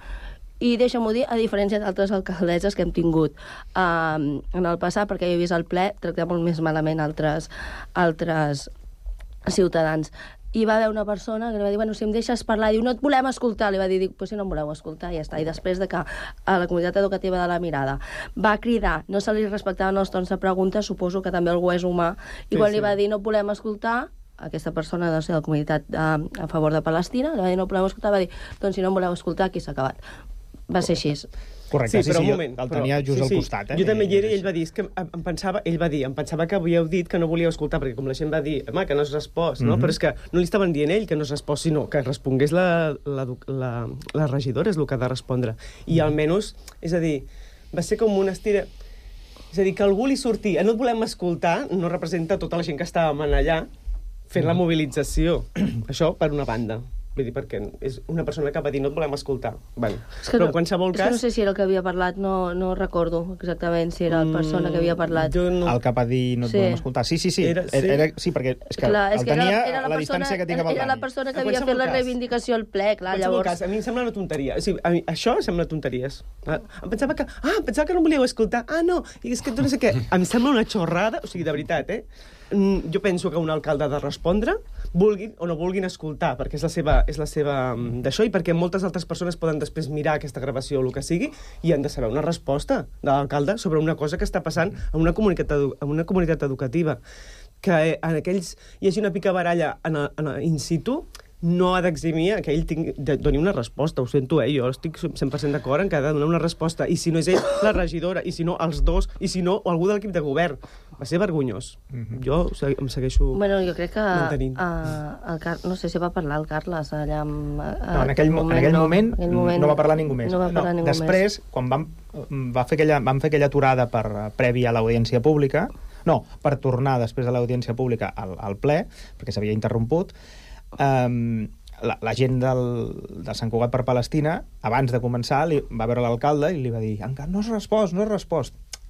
i deixa'm-ho dir, a diferència d'altres alcaldesses que hem tingut en el passat, perquè jo he vist el ple tractar molt més malament altres ciutadans. I va haver una persona que li va dir, bueno, si em deixes parlar, diu, no et volem escoltar. Li va dir, pues si no em voleu escoltar, ja està. I després de que a la comunitat educativa de la Mirada va cridar, no se li respectaven els tons de preguntes, suposo que també algú és humà, i quan li va dir, no et volem escoltar, aquesta persona de la comunitat a favor de Palestina, li va dir, no et volem escoltar, va dir, doncs si no em voleu escoltar, aquí s'ha acabat. Va ser així. Correcte, sí, però un moment, el tenia just al costat. Jo també hi era i ell va dir, que em pensava que havíeu dit que no volíeu escoltar, perquè com la gent va dir, home, que no has respost, no? Però és que no li estaven dient ell que no has respost, sinó que respongués la regidora, és el que ha de respondre. I almenys, és a dir, va ser com una estira... És a dir, que algú li sortia, no et volem escoltar, no representa tota la gent que estàvem allà fent la mobilització. Això per una banda. Vull dir, perquè és una persona que va dir no et volem escoltar. Bueno, però en qualsevol cas... no sé si era el que havia parlat, no recordo exactament si era la persona que havia parlat. El que va dir no et volem escoltar. Sí, perquè és que el tenia a la distància que tinc amb el Dani. Era la persona que havia fet la reivindicació al ple, clar, llavors... A mi em sembla una tonteria. O sigui, això sembla tonteries. Em pensava que no volíeu escoltar. No, i és que no sé què. Em sembla una xorrada, o sigui, de veritat, jo penso que un alcalde ha de respondre, vulguin o no vulguin escoltar, perquè és la seva d'això, i perquè moltes altres persones poden després mirar aquesta gravació o el que sigui i han de saber una resposta de l'alcalde sobre una cosa que està passant en una comunitat educativa. Que en aquells hi hagi una picabaralla in situ no ha d'eximir que ell doni una resposta, ho sento, jo estic 100% d'acord en que ha de donar una resposta, i si no és ell, la regidora, i si no, els dos, i si no, algú de l'equip de govern. Va ser vergonyós. Jo em segueixo jo crec que mantenint. No sé si va parlar el Carles allà en aquell moment no va parlar ningú més. Després, quan vam fer aquella aturada prèvia a l'audiència pública, per tornar després de l'audiència pública al ple, perquè s'havia interromput, la gent de Sant Cugat per Palestina, abans de començar, va veure l'alcalde i li va dir, encara no has respost.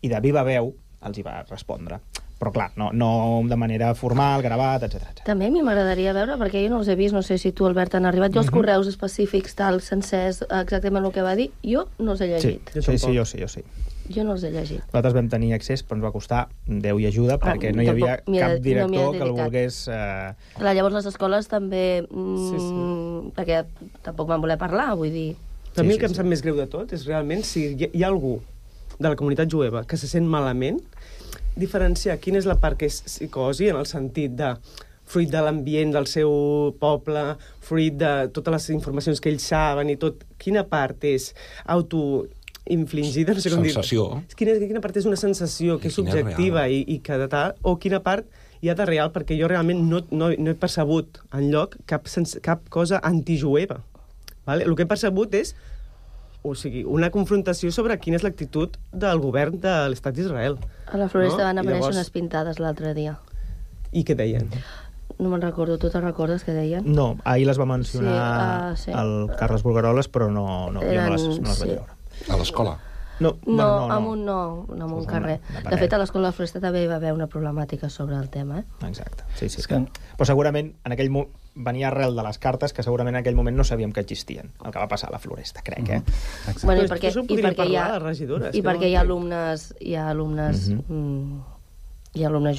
I de viva veu els hi va respondre. Però clar, no de manera formal, gravat, etc. També a mi m'agradaria veure, perquè jo no els he vist, no sé si tu, Albert, han arribat. Jo els correus específics, sencers, exactament el que va dir, jo no els he llegit. Sí, jo sí. Jo no els he llegit. Nosaltres vam tenir accés, però ens va costar Déu i ajuda, perquè no hi havia cap director que el volgués... Clar, llavors les escoles també... Perquè tampoc van voler parlar, vull dir... A mi el que em sap més greu de tot és realment si hi ha algú de la comunitat jueva que se sent malament, diferenciar quina és la part que és psicosi, en el sentit de fruit de l'ambient del seu poble, fruit de totes les informacions que ells saben i tot, quina part és autoinfligida, no sé com dir... Sensació. Quina part és una sensació que és subjectiva i que de tal, o quina part hi ha de real, perquè jo realment no he percebut enlloc cap cosa antijueva. Vale? El que he percebut és una confrontació sobre quina és l'actitud del govern de l'Estat d'Israel. A la Floresta van aparèixer unes pintades l'altre dia. I què deien? No me'n recordo. Tu te'n recordes què deien? No, ahir les va mencionar el Carles Bulgaroles, però jo no les vaig veure. A l'escola? No, amb un carrer. De fet, a l'escola de la Floresta també hi va haver una problemàtica sobre el tema. Exacte. Sí. Però segurament en aquell moment venia arrel de les cartes que segurament en aquell moment no sabíem que existien, el que va passar a la Floresta, crec, Bueno, i perquè hi ha alumnes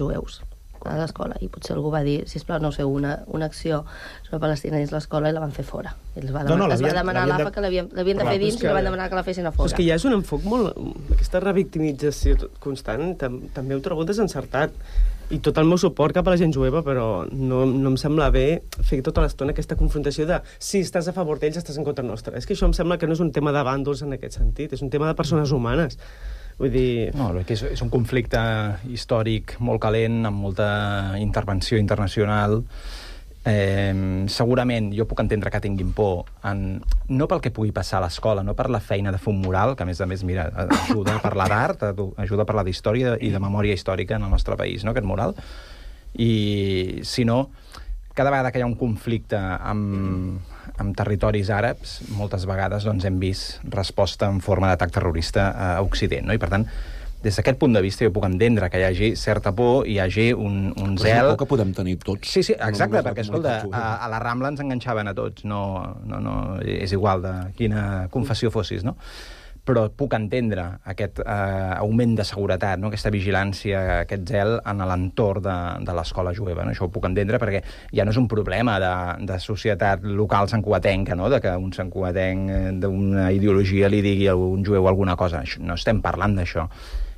jueus a l'escola, i potser algú va dir, sisplau, no sé, una acció sobre Palestina dins l'escola, i la van fer fora. Es va demanar a l'AFA que l'havien de fer dins i la van demanar que la fessin a fora. És que ja és un enfoc molt... Aquesta revictimització constant també ho trobo desencertat. I tot el meu suport cap a la gent jueva, però no em sembla bé fer tota l'estona aquesta confrontació de si estàs a favor d'ells, estàs en contra nostra. És que això em sembla que no és un tema de bàndols en aquest sentit, és un tema de persones humanes. Vull dir... No, és un conflicte històric molt calent, amb molta intervenció internacional, Segurament jo puc entendre que tinguin por, no pel que pugui passar a l'escola, no per la feina de fer un mural, que a més, mira, ajuda a parlar d'art, ajuda a parlar d'història i de memòria històrica en el nostre país, no?, aquest mural, i sinó cada vegada que hi ha un conflicte amb territoris àrabs, moltes vegades doncs, hem vist resposta en forma d'atac terrorista a Occident, no? I per tant, des d'aquest punt de vista jo puc entendre que hi hagi certa por, hi hagi un zel... És una por que podem tenir tots. Sí, exacte, perquè, escolta, a la Rambla ens enganxaven a tots, no, és igual de quina confessió fossis, no? Però puc entendre aquest augment de seguretat, no? Aquesta vigilància, aquest zel en l'entorn de l'escola jueva. No? Això ho puc entendre perquè ja no és un problema de societat local santcugatenca, no? De que un santcugatenc d'una ideologia li digui a un jueu alguna cosa. No estem parlant d'això.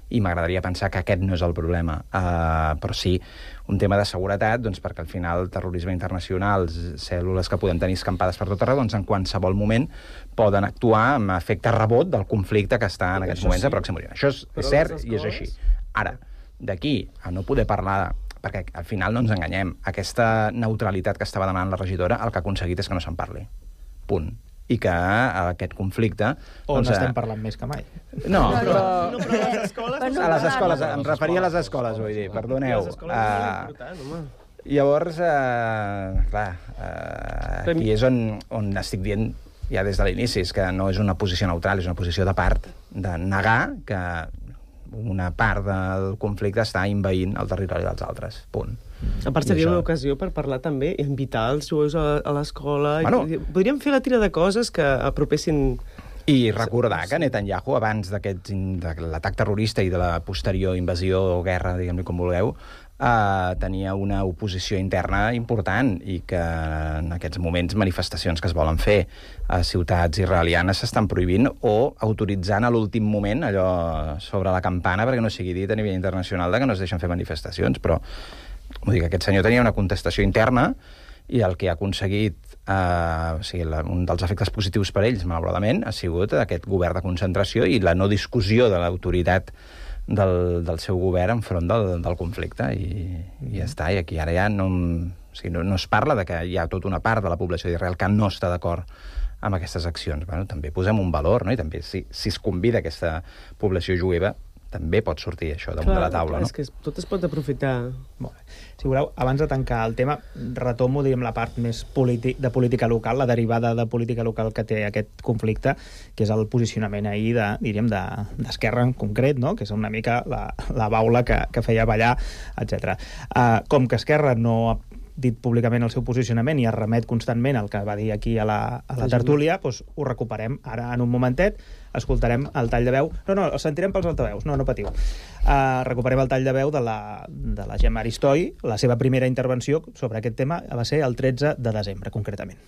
I m'agradaria pensar que aquest no és el problema. Però sí, un tema de seguretat, doncs, perquè al final el terrorisme internacional, cèl·lules que podem tenir escampades per tot arreu, doncs en qualsevol moment poden actuar amb efecte rebot del conflicte que està en aquests moments a Pròxim Orient. Això és cert i és així. Ara, d'aquí a no poder parlar, perquè al final no ens enganyem, aquesta neutralitat que estava demanant la regidora, el que ha aconseguit és que no se'n parli. Punt. I que aquest conflicte... On estem parlant més que mai. No, però a les escoles... A les escoles, em referia a les escoles, vull dir, perdoneu. Les escoles és molt important, home. Llavors, clar, aquí és on estic dient ja des de l'inici, és que no és una posició neutral, és una posició de part, de negar que una part del conflicte està envaint el territori dels altres. Punt. A part, seria una ocasió per parlar també i invitar els jueus a l'escola. Bueno, podríem fer la tira de coses que apropessin... I recordar que Netanyahu, abans de l'atac terrorista i de la posterior invasió o guerra, diguem-li com vulgueu, tenia una oposició interna important i que en aquests moments manifestacions que es volen fer a ciutats israelianes s'estan prohibint o autoritzant a l'últim moment allò sobre la campana perquè no sigui dit a nivell internacional que no es deixen fer manifestacions, però vull dir que aquest senyor tenia una contestació interna i el que ha aconseguit, un dels efectes positius per ells, malauradament, ha sigut aquest govern de concentració i la no discussió de l'autoritat del seu govern enfront del conflicte i ja està, i aquí ara ja no es parla de que hi ha tota una part de la població d'Israel que no està d'acord amb aquestes accions. Bueno, també posem un valor, no? I també si es convida aquesta població jueva també pot sortir això damunt de la taula, no? És que tot es pot aprofitar. Molt bé. Si voleu, abans de tancar el tema, retomo, diguem, la part més de política local, la derivada de política local que té aquest conflicte, que és el posicionament ahir d'Esquerra en concret, no? Que és una mica la baula que feia ballar, etc. Com que Esquerra no ha dit públicament el seu posicionament i es remet constantment al que va dir aquí a la tertúlia, doncs ho recuperem ara en un momentet, escoltarem el tall de veu. No, el sentirem pels altaveus, no patiu. Recuperem el tall de veu de la Gemma Aristoi. La seva primera intervenció sobre aquest tema va ser el 13 de desembre, concretament.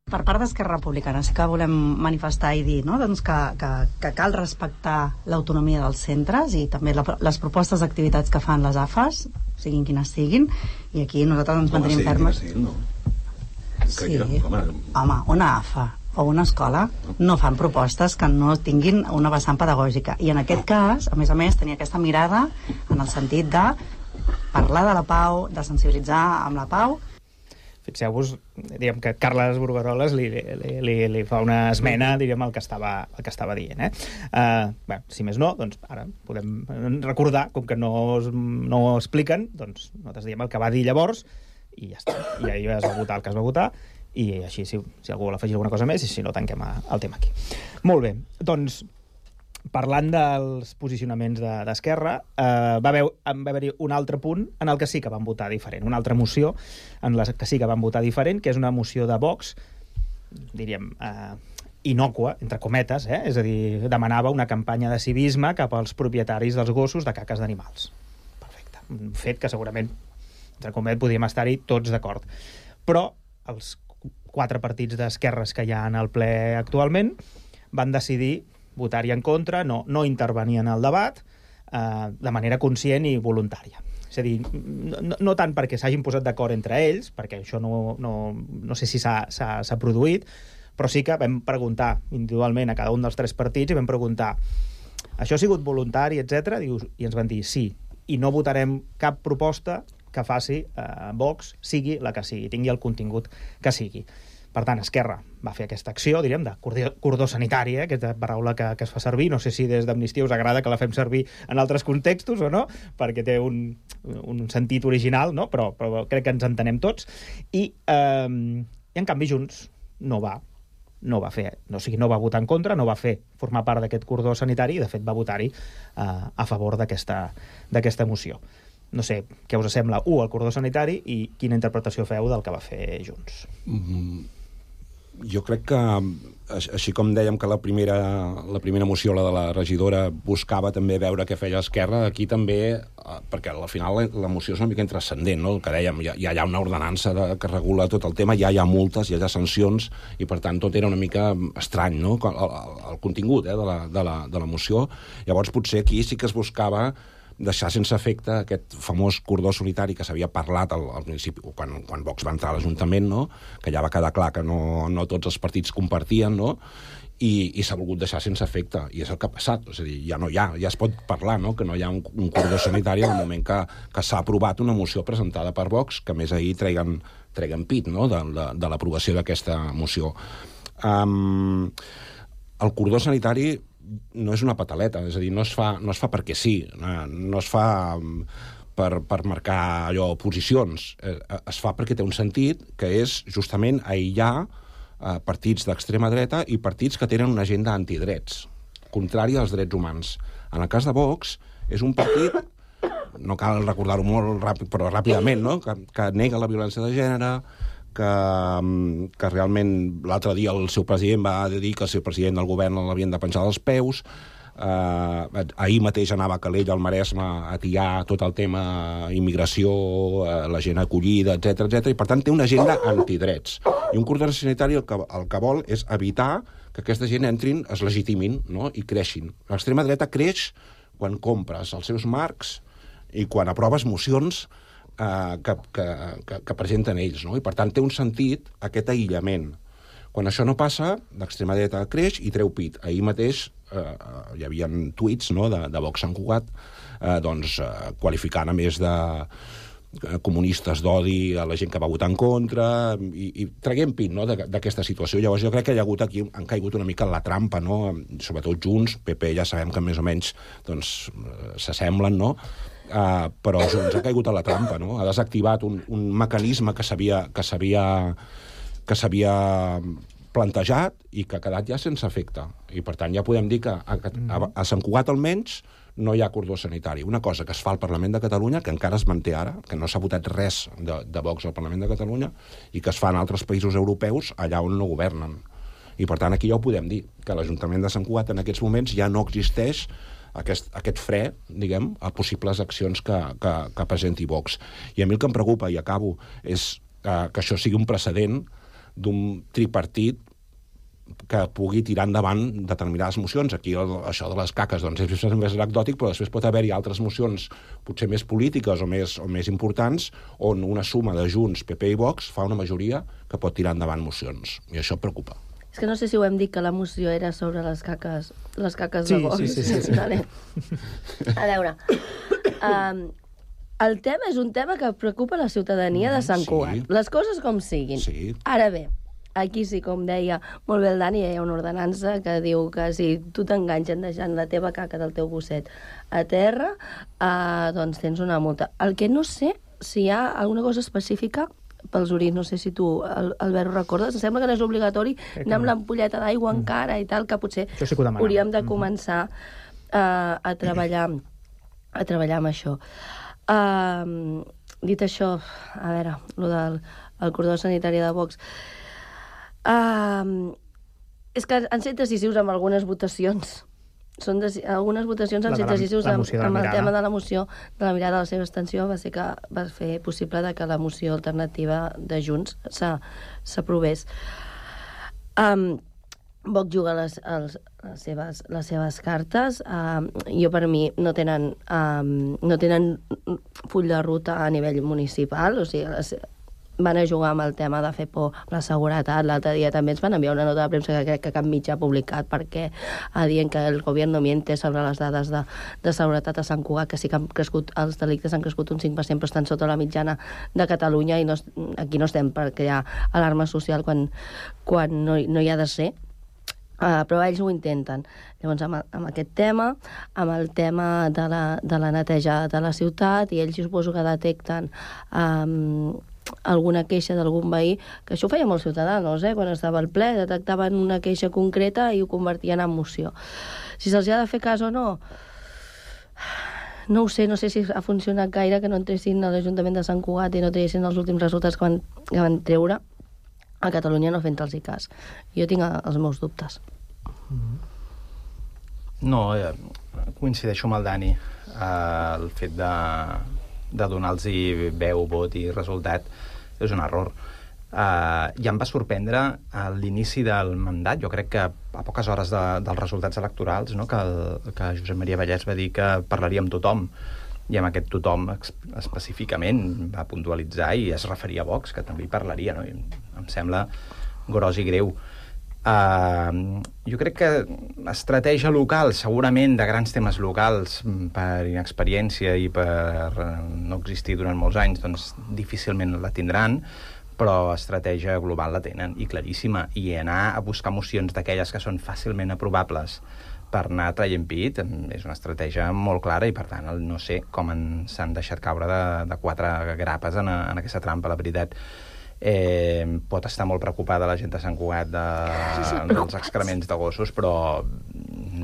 Per part d'Esquerra Republicana sí que volem manifestar i dir, no? Doncs que cal respectar l'autonomia dels centres i també les propostes d'activitats que fan les AFAs, siguin quines siguin, i aquí nosaltres ens mantenim fermes. Sí, home, una AFA o una escola no fan propostes que no tinguin una vessant pedagògica, i en aquest cas, a més, tenia aquesta mirada en el sentit de parlar de la pau, de sensibilitzar amb la pau. Fixeu-vos, diguem que Carles Burgaroles li fa una esmena, diríem, al que estava dient. Bé, si més no, doncs ara podem recordar, com que no ho expliquen, doncs nosaltres diem el que va dir llavors i ja està. I ahir es va votar el que es va votar i així, si algú vol afegir alguna cosa més, i si no, tanquem el tema aquí. Molt bé, doncs parlant dels posicionaments d'Esquerra, va haver-hi un altre punt en el que sí que van votar diferent, una altra moció en la que sí que van votar diferent, que és una moció de Vox, diríem, innòcua, entre cometes, és a dir, demanava una campanya de civisme cap als propietaris dels gossos de caques d'animals. Perfecte. Un fet que segurament, entre cometes, podríem estar-hi tots d'acord. Però els 4 partits d'esquerres que hi ha en el ple actualment van decidir votar-hi en contra, no intervenir en el debat de manera conscient i voluntària. És a dir, no tant perquè s'hagin posat d'acord entre ells, perquè això no sé si s'ha produït, però sí que vam preguntar individualment a cada un dels 3 partits i vam preguntar, això ha sigut voluntari, etc. I ens van dir sí, i no votarem cap proposta que faci Vox, sigui la que sigui, tingui el contingut que sigui. Per tant, Esquerra va fer aquesta acció, diríem, de cordó sanitari, aquesta paraula que es fa servir. No sé si des d'Amnistia us agrada que la fem servir en altres contextos o no, perquè té un sentit original, no? Però crec que ens entenem tots. I en canvi, Junts no va fer, o sigui, no va votar en contra, no va formar part d'aquest cordó sanitari i, de fet, va votar-hi a favor d'aquesta moció. No sé què us sembla, el cordó sanitari i quina interpretació feu del que va fer Junts. Jo crec que, així com dèiem que la primera moció, la de la regidora, buscava també veure què feia Esquerra, aquí també, perquè al final la moció és una mica intranscendent, no? El que dèiem, hi ha una ordenança que regula tot el tema, ja hi ha multes, ja hi ha sancions, i per tant tot era una mica estrany, no? El contingut de la moció. Llavors potser aquí sí que es buscava deixar sense efecte aquest famós cordó sanitari que s'havia parlat al principi, quan Vox va entrar a l'Ajuntament, no? Que ja va quedar clar que no tots els partits compartien, no? I s'ha volgut deixar sense efecte, i és el que ha passat. És a dir, ja es pot parlar, no? Que no hi ha un cordó sanitari en el moment que s'ha aprovat una moció presentada per Vox, que més ahir treguen pit, no? De l'aprovació d'aquesta moció. El cordó sanitari no és una pataleta, és a dir, no es fa perquè sí, no es fa per marcar allò posicions, es fa perquè té un sentit que és justament aïllar partits d'extrema dreta i partits que tenen una agenda antidrets, contrària als drets humans. En el cas de Vox, és un partit, no cal recordar-ho molt ràpid, però ràpidament, no? Que nega la violència de gènere, que realment l'altre dia el seu president va dir que el seu president del govern l'havien de penjar dels peus. Ahir mateix anava a Calella, al Maresme, a tiar tot el tema immigració, la gent acollida, etc. I per tant té una agenda antidrets. I un cordó sanitari el que vol és evitar que aquesta gent entrin, es legitimin, no? I creixin. L'extrema dreta creix quan compres els seus marcs i quan aproves mocions que presenten ells, no? I per tant té un sentit aquest aïllament. Quan això no passa, l'extrema dreta creix i treu pit. Ahir mateix hi havia tuits, no, de Vox Sant Cugat, qualificant a més de comunistes d'odi a la gent que va votar en contra i traguem pit, no, d'aquesta situació. Llavors jo crec que hi ha hagut aquí, han caigut una mica en la trampa, no? Sobretot Junts, PP ja sabem que més o menys s'assemblen, no? Però Junts ha caigut a la trampa, no? Ha desactivat un mecanisme que s'havia plantejat i que ha quedat ja sense efecte. I per tant ja podem dir que a Sant Cugat almenys no hi ha cordó sanitari. Una cosa que es fa al Parlament de Catalunya, que encara es manté ara, que no s'ha votat res de Vox al Parlament de Catalunya, i que es fa en altres països europeus allà on no governen. I per tant aquí ja ho podem dir, que l'Ajuntament de Sant Cugat en aquests moments ja no existeix aquest fre, diguem, a possibles accions que presenti Vox. I a mi el que em preocupa, i acabo, és que això sigui un precedent d'un tripartit que pugui tirar endavant determinades mocions. Aquí això de les caques és més anecdòtic, però després pot haver-hi altres mocions potser més polítiques o més importants on una suma de Junts, PP i Vox fa una majoria que pot tirar endavant mocions. I això preocupa. És que no sé si ho hem dit, que la moció era sobre les caques de Vox. Sí. Vale. A veure, el tema és un tema que preocupa la ciutadania de Sant Cugat. Les coses com siguin. Sí. Ara bé, aquí sí, com deia molt bé el Dani, hi ha una ordenança que diu que si tu t'enganxen deixant la teva caca del teu gosset a terra, doncs tens una multa. El que no sé si hi ha alguna cosa específica pels orins, no sé si tu, Albert, ho recordes? Em sembla que no és obligatori anar amb l'ampolleta d'aigua encara i tal, que potser sí que hauríem de començar a treballar amb això. Dit això, a veure, el del cordó sanitari de Vox, és que han set decisius amb algunes votacions. Algunes votacions han set decisius amb el tema de la moció de la mirada. La seva abstenció va ser que va fer possible que la moció alternativa de Junts s'aprovés. Vox juga les seves cartes. Jo, per mi, no tenen full de ruta a nivell municipal, o sigui, van a jugar amb el tema de fer por la seguretat. L'altre dia també ens van enviar una nota de premsa que crec que cap mitjà ha publicat perquè dient que el govern miente sobre les dades de seguretat a Sant Cugat, que sí que han crescut, els delictes han crescut un 5%, però estan sota la mitjana de Catalunya, i aquí no estem per crear alarma social quan no hi ha de ser. Però ells ho intenten. Llavors, amb aquest tema, amb el tema de la neteja de la ciutat, i ells suposo que detecten alguna queixa d'algun veí, que això ho feia molts ciutadans, quan estava al ple, detectaven una queixa concreta i ho convertien en moció. Si se'ls ha de fer cas o no, no ho sé, no sé si ha funcionat gaire que no entressin a l'Ajuntament de Sant Cugat i no triessin els últims resultats que van treure a Catalunya, no fent-los cas. Jo tinc els meus dubtes. No, coincideixo amb el Dani. El fet de donar-los veu, vot i resultat és un error. Ja em va sorprendre a l'inici del mandat, jo crec que a poques hores dels resultats electorals, no, que Josep Maria Vallès va dir que parlaria amb tothom, i amb aquest tothom específicament va puntualitzar i es referia a Vox, que també hi parlaria, no? I em sembla gros i greu. Jo crec que estratègia local, segurament de grans temes locals, per inexperiència i per no existir durant molts anys, doncs difícilment la tindran, però estratègia global la tenen, i claríssima, i anar a buscar mocions d'aquelles que són fàcilment aprovables per anar traient pit és una estratègia molt clara, i per tant no sé com s'han deixat caure de 4 grapes en aquesta trampa, la veritat. Pot estar molt preocupada la gent de Sant Cugat dels excrements de gossos, però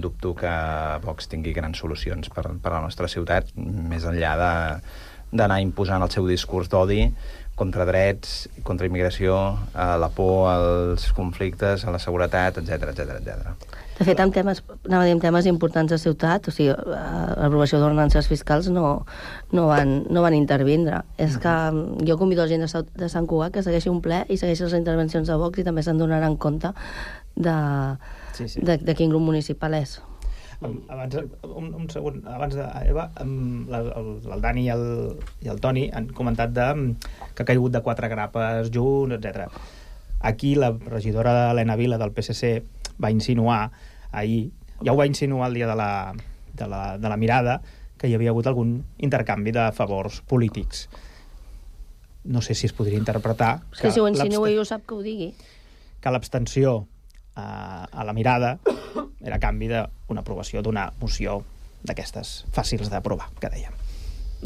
dubto que Vox tingui grans solucions per a la nostra ciutat, més enllà d'anar imposant el seu discurs d'odi contra drets, contra immigració, a la por, als conflictes, a la seguretat, etc. De fet, amb temes importants de ciutat, o sigui, l'aprovació d'ordenances fiscals no van intervindre. És que jo convido la gent de Sant Cugat que segueixi un ple i segueixi les intervencions de Vox, i també se'n donaran compte de quin grup municipal és. Un segon, abans d'Eva, el Dani i el Toni han comentat que ha caigut de 4 grapes junts, etc. Aquí la regidora Helena Vila del PSC va insinuar ahir, ja ho va insinuar el dia de la mirada, que hi havia hagut algun intercanvi de favors polítics. No sé si es podria interpretar... És que si ho insinua i ho sap, que ho digui. Que l'abstenció a la mirada era a canvi d'una aprovació d'una moció d'aquestes fàcils d'aprovar, que dèiem.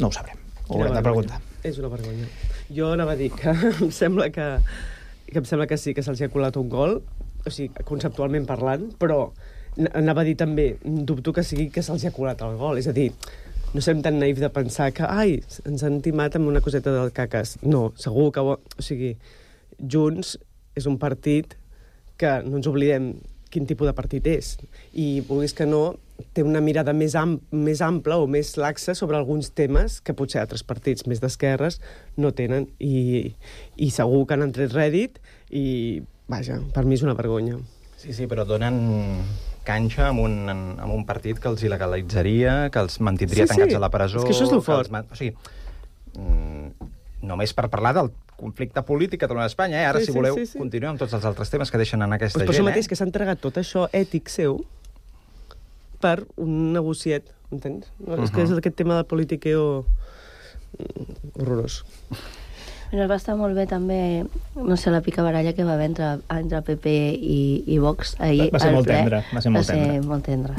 No ho sabrem. Ho haurem de preguntar. És una vergonya. Jo anava a dir que em sembla que sí, que se'ls ha colat un gol, o sigui, conceptualment parlant, però anava a dir també, dubto que sigui que se'ls ha colat el gol. És a dir, no serem tan naïfs de pensar que ens han timat amb una coseta del cacas. No, segur que... O sigui, Junts és un partit que no ens oblidem quin tipus de partit és. I, vulguis que no, té una mirada més ampla o més laxa sobre alguns temes que potser altres partits més d'esquerres no tenen. I segur que han tret rèdit i, vaja, per mi és una vergonya. Sí, però donen canxa amb un partit que els il·legalitzaria, que els mantindria tancats a la presó... És que això és el fort. O sigui, només per parlar del conflicte polític Catalunya-Espanya, ara, si voleu, continuem amb tots els altres temes que deixen en aquesta gent. Per això mateix que s'ha entregat tot això ètic seu per un negociet, entens? És que és aquest tema del politiqueo horrorós. Va estar molt bé també, no sé, la picabaralla que va haver entre PP i Vox ahir. Va ser molt tendre. Va ser molt tendre.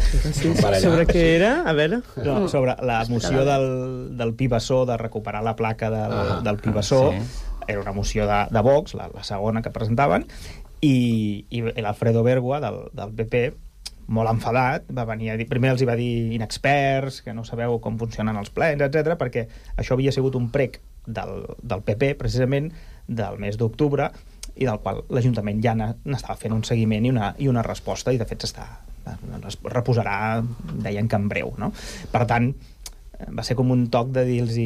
Sobre què era? A veure? Sobre la moció del Pibassó, de recuperar la placa del Pibassó. Era una moció de Vox, la segona que presentaven, i l'Alfredo Bergua, del PP, molt enfadat, va venir a dir... Primer els hi va dir inexperts, que no sabeu com funcionen els plens, etc, perquè això havia sigut un prec del PP, precisament, del mes d'octubre, i del qual l'Ajuntament ja n'estava fent un seguiment i una resposta, i de fet es reposarà, deien que en breu, no? Per tant, va ser com un toc de dir-los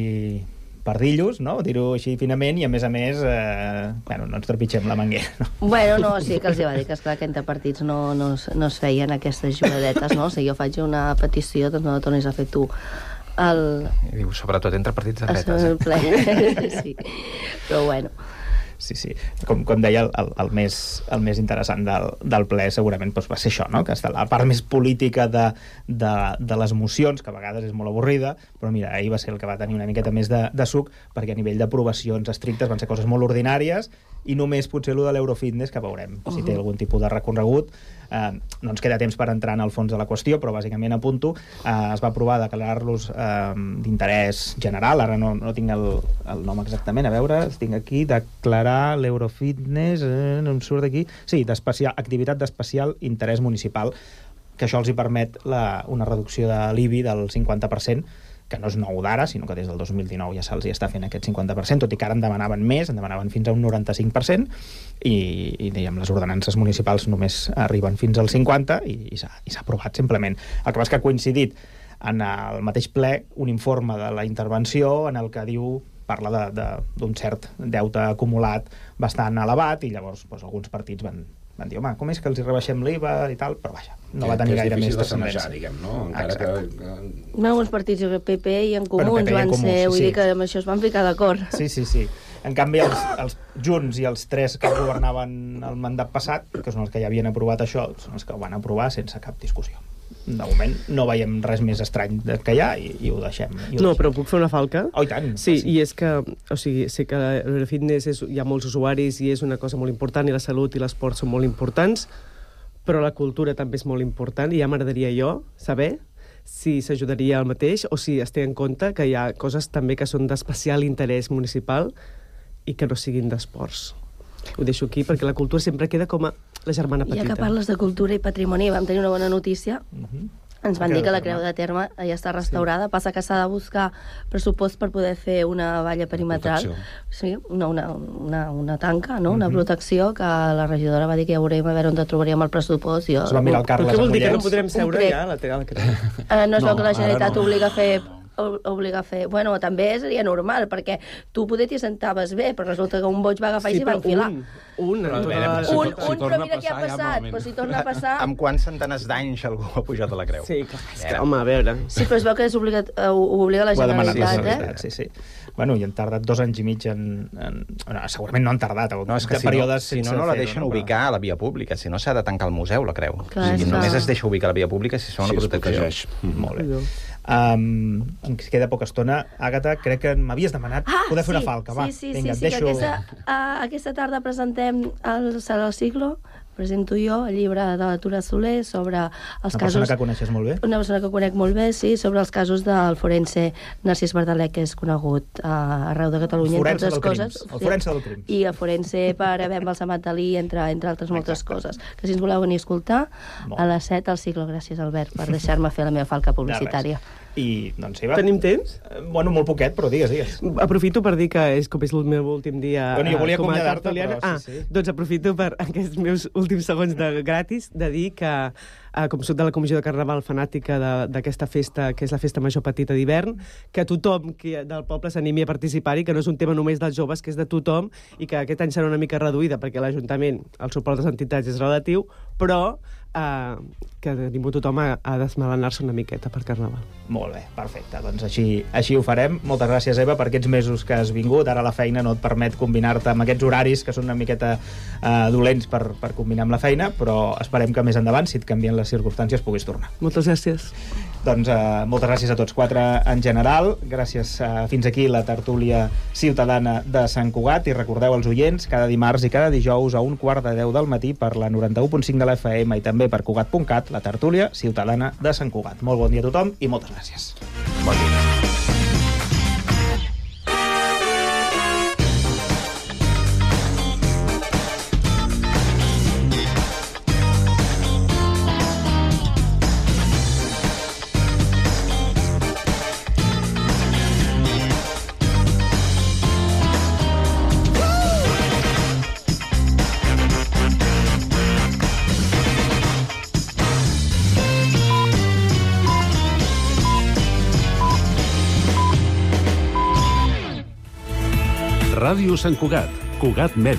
pardillos, no? Dir-ho així finament, i a més, no ens trepitgem la manguera, no? Bueno, no, sí que els va dir que, esclar, que entre partits no es feien aquestes jugadetes, no? Si jo faig una petició, doncs no la tornis a fer tu. I diu, sobretot entre partits de dretes. Sí, però bueno. Sí. Com deia, el més interessant del ple segurament doncs, va ser això, no? Que està la part més política de les mocions, que a vegades és molt avorrida, però mira, ahir va ser el que va tenir una miqueta més de suc, perquè a nivell d'aprovacions estrictes van ser coses molt ordinàries, i només potser allò de l'Eurofitness, que veurem si té algun tipus de recorregut. No ens queda temps per entrar en el fons de la qüestió, però bàsicament apunto, es va aprovar declarar-los d'interès general, ara no tinc el nom exactament, a veure, tinc aquí, declarar l'Eurofitness, no em surt d'aquí, sí, activitat d'especial interès municipal, que això els hi permet una reducció de l'IBI del 50%, que no és nou d'ara, sinó que des del 2019 ja se'ls està fent aquest 50%, tot i que ara en demanaven més, en demanaven fins a un 95%, i diguem, les ordenances municipals només arriben fins al 50%, i s'ha aprovat simplement. El que passa que ha coincidit en el mateix ple un informe de la intervenció en el que parla d'un cert deute acumulat bastant elevat, i llavors alguns partits van dir, home, com és que els hi rebaixem l'IVA i tal, però vaja, no va tenir gaire més transcendència. Diguem, no? Encara que... Alguns partits, el PP i en Comuns van ser, vull dir que amb això es van ficar d'acord. Sí. En canvi, els Junts i els tres que governaven el mandat passat, que són els que ja havien aprovat això, són els que ho van aprovar sense cap discussió. De moment no veiem res més estrany que hi ha i ho deixem. No, però puc fer una falca? Oh, i tant. Sí, i és que, o sigui, sé que l'Eurofitness hi ha molts usuaris i és una cosa molt important, i la salut i l'esport són molt importants, però la cultura també és molt important, i ja m'agradaria saber si s'ajudaria al mateix o si es té en compte que hi ha coses també que són d'especial interès municipal i que no siguin d'esports. Ho deixo aquí perquè la cultura sempre queda com a la germana petita. Ja que parles de cultura i patrimoni, vam tenir una bona notícia. Ens van dir que la Creu de Terme ja està restaurada. Passa que s'ha de buscar pressupost per poder fer una valla perimetral. Sí, una tanca, no? Una protecció, que la regidora va dir que ja veurem a veure on trobaríem el pressupost. Es va mirar el Carles Amollets. Què vol dir, que no podrem seure ja a la Creu? No es veu que la Generalitat obliga a fer... Bueno, també seria normal, perquè tu poder t'hi sentaves bé, però resulta que un boig va agafar i s'hi va enfilar. Però mira què ha passat. Però si torna a passar... Amb quants centenars d'anys algú ha pujat a la Creu? Sí, clar, home, a veure... Sí, però es veu que ho obliga la Generalitat, Sí. Bueno, i han tardat 2 anys i mig segurament no han tardat. No, és que si no la deixen ubicar a la via pública, si no s'ha de tancar el museu, la Creu. Només es deixa ubicar a la via pública si són una protecció. Molt bé. Ens queda poca estona. Àgata, crec que m'havies demanat poder fer una falca. Sí, que aquesta tarda presentem el Siglo, presento jo el llibre de la Tura Soler sobre els casos... Una persona que coneixes molt bé? Una persona que conec molt bé, sí, sobre els casos del forense Narcís Verdaler, que és conegut arreu de Catalunya, entre altres coses. El forense del crim. I el forense per haver embalsamat Dalí, entre altres moltes coses. Que si ens voleu venir a escoltar, a les 7 al Siglo. Gràcies, Albert, per deixar-me fer la meva falca publicitària. I, doncs, Eva... Tenim temps? Bueno, molt poquet, però digues. Aprofito per dir que és el meu últim dia jo volia com a acomiadar-te, tertuliana. Doncs aprofito per aquests meus últims segons gratis de dir que, com soc de la Comissió de Carnaval fanàtica d'aquesta festa, que és la festa major petita d'hivern, que tothom del poble s'animi a participar-hi, que no és un tema només dels joves, que és de tothom, i que aquest any serà una mica reduïda, perquè l'Ajuntament, el suport de les entitats és relatiu, però que ningú tothom ha d'esmelenar-se una miqueta per Carnaval. Molt bé, perfecte. Doncs així ho farem. Moltes gràcies, Eva, per aquests mesos que has vingut. Ara la feina no et permet combinar-te amb aquests horaris que són una miqueta dolents per combinar amb la feina, però esperem que més endavant, si et canvien les circumstàncies, puguis tornar. Moltes gràcies. Doncs moltes gràcies a tots quatre en general. Gràcies fins aquí la tertúlia ciutadana de Sant Cugat, i recordeu als oients, cada dimarts i cada dijous a 9:15 del matí per la 91.5 de la FM i també per Cugat.cat, la tertúlia ciutadana de Sant Cugat. Molt bon dia a tothom i moltes gràcies. Bon dia. Ràdio Sant Cugat, Cugat Mèdia.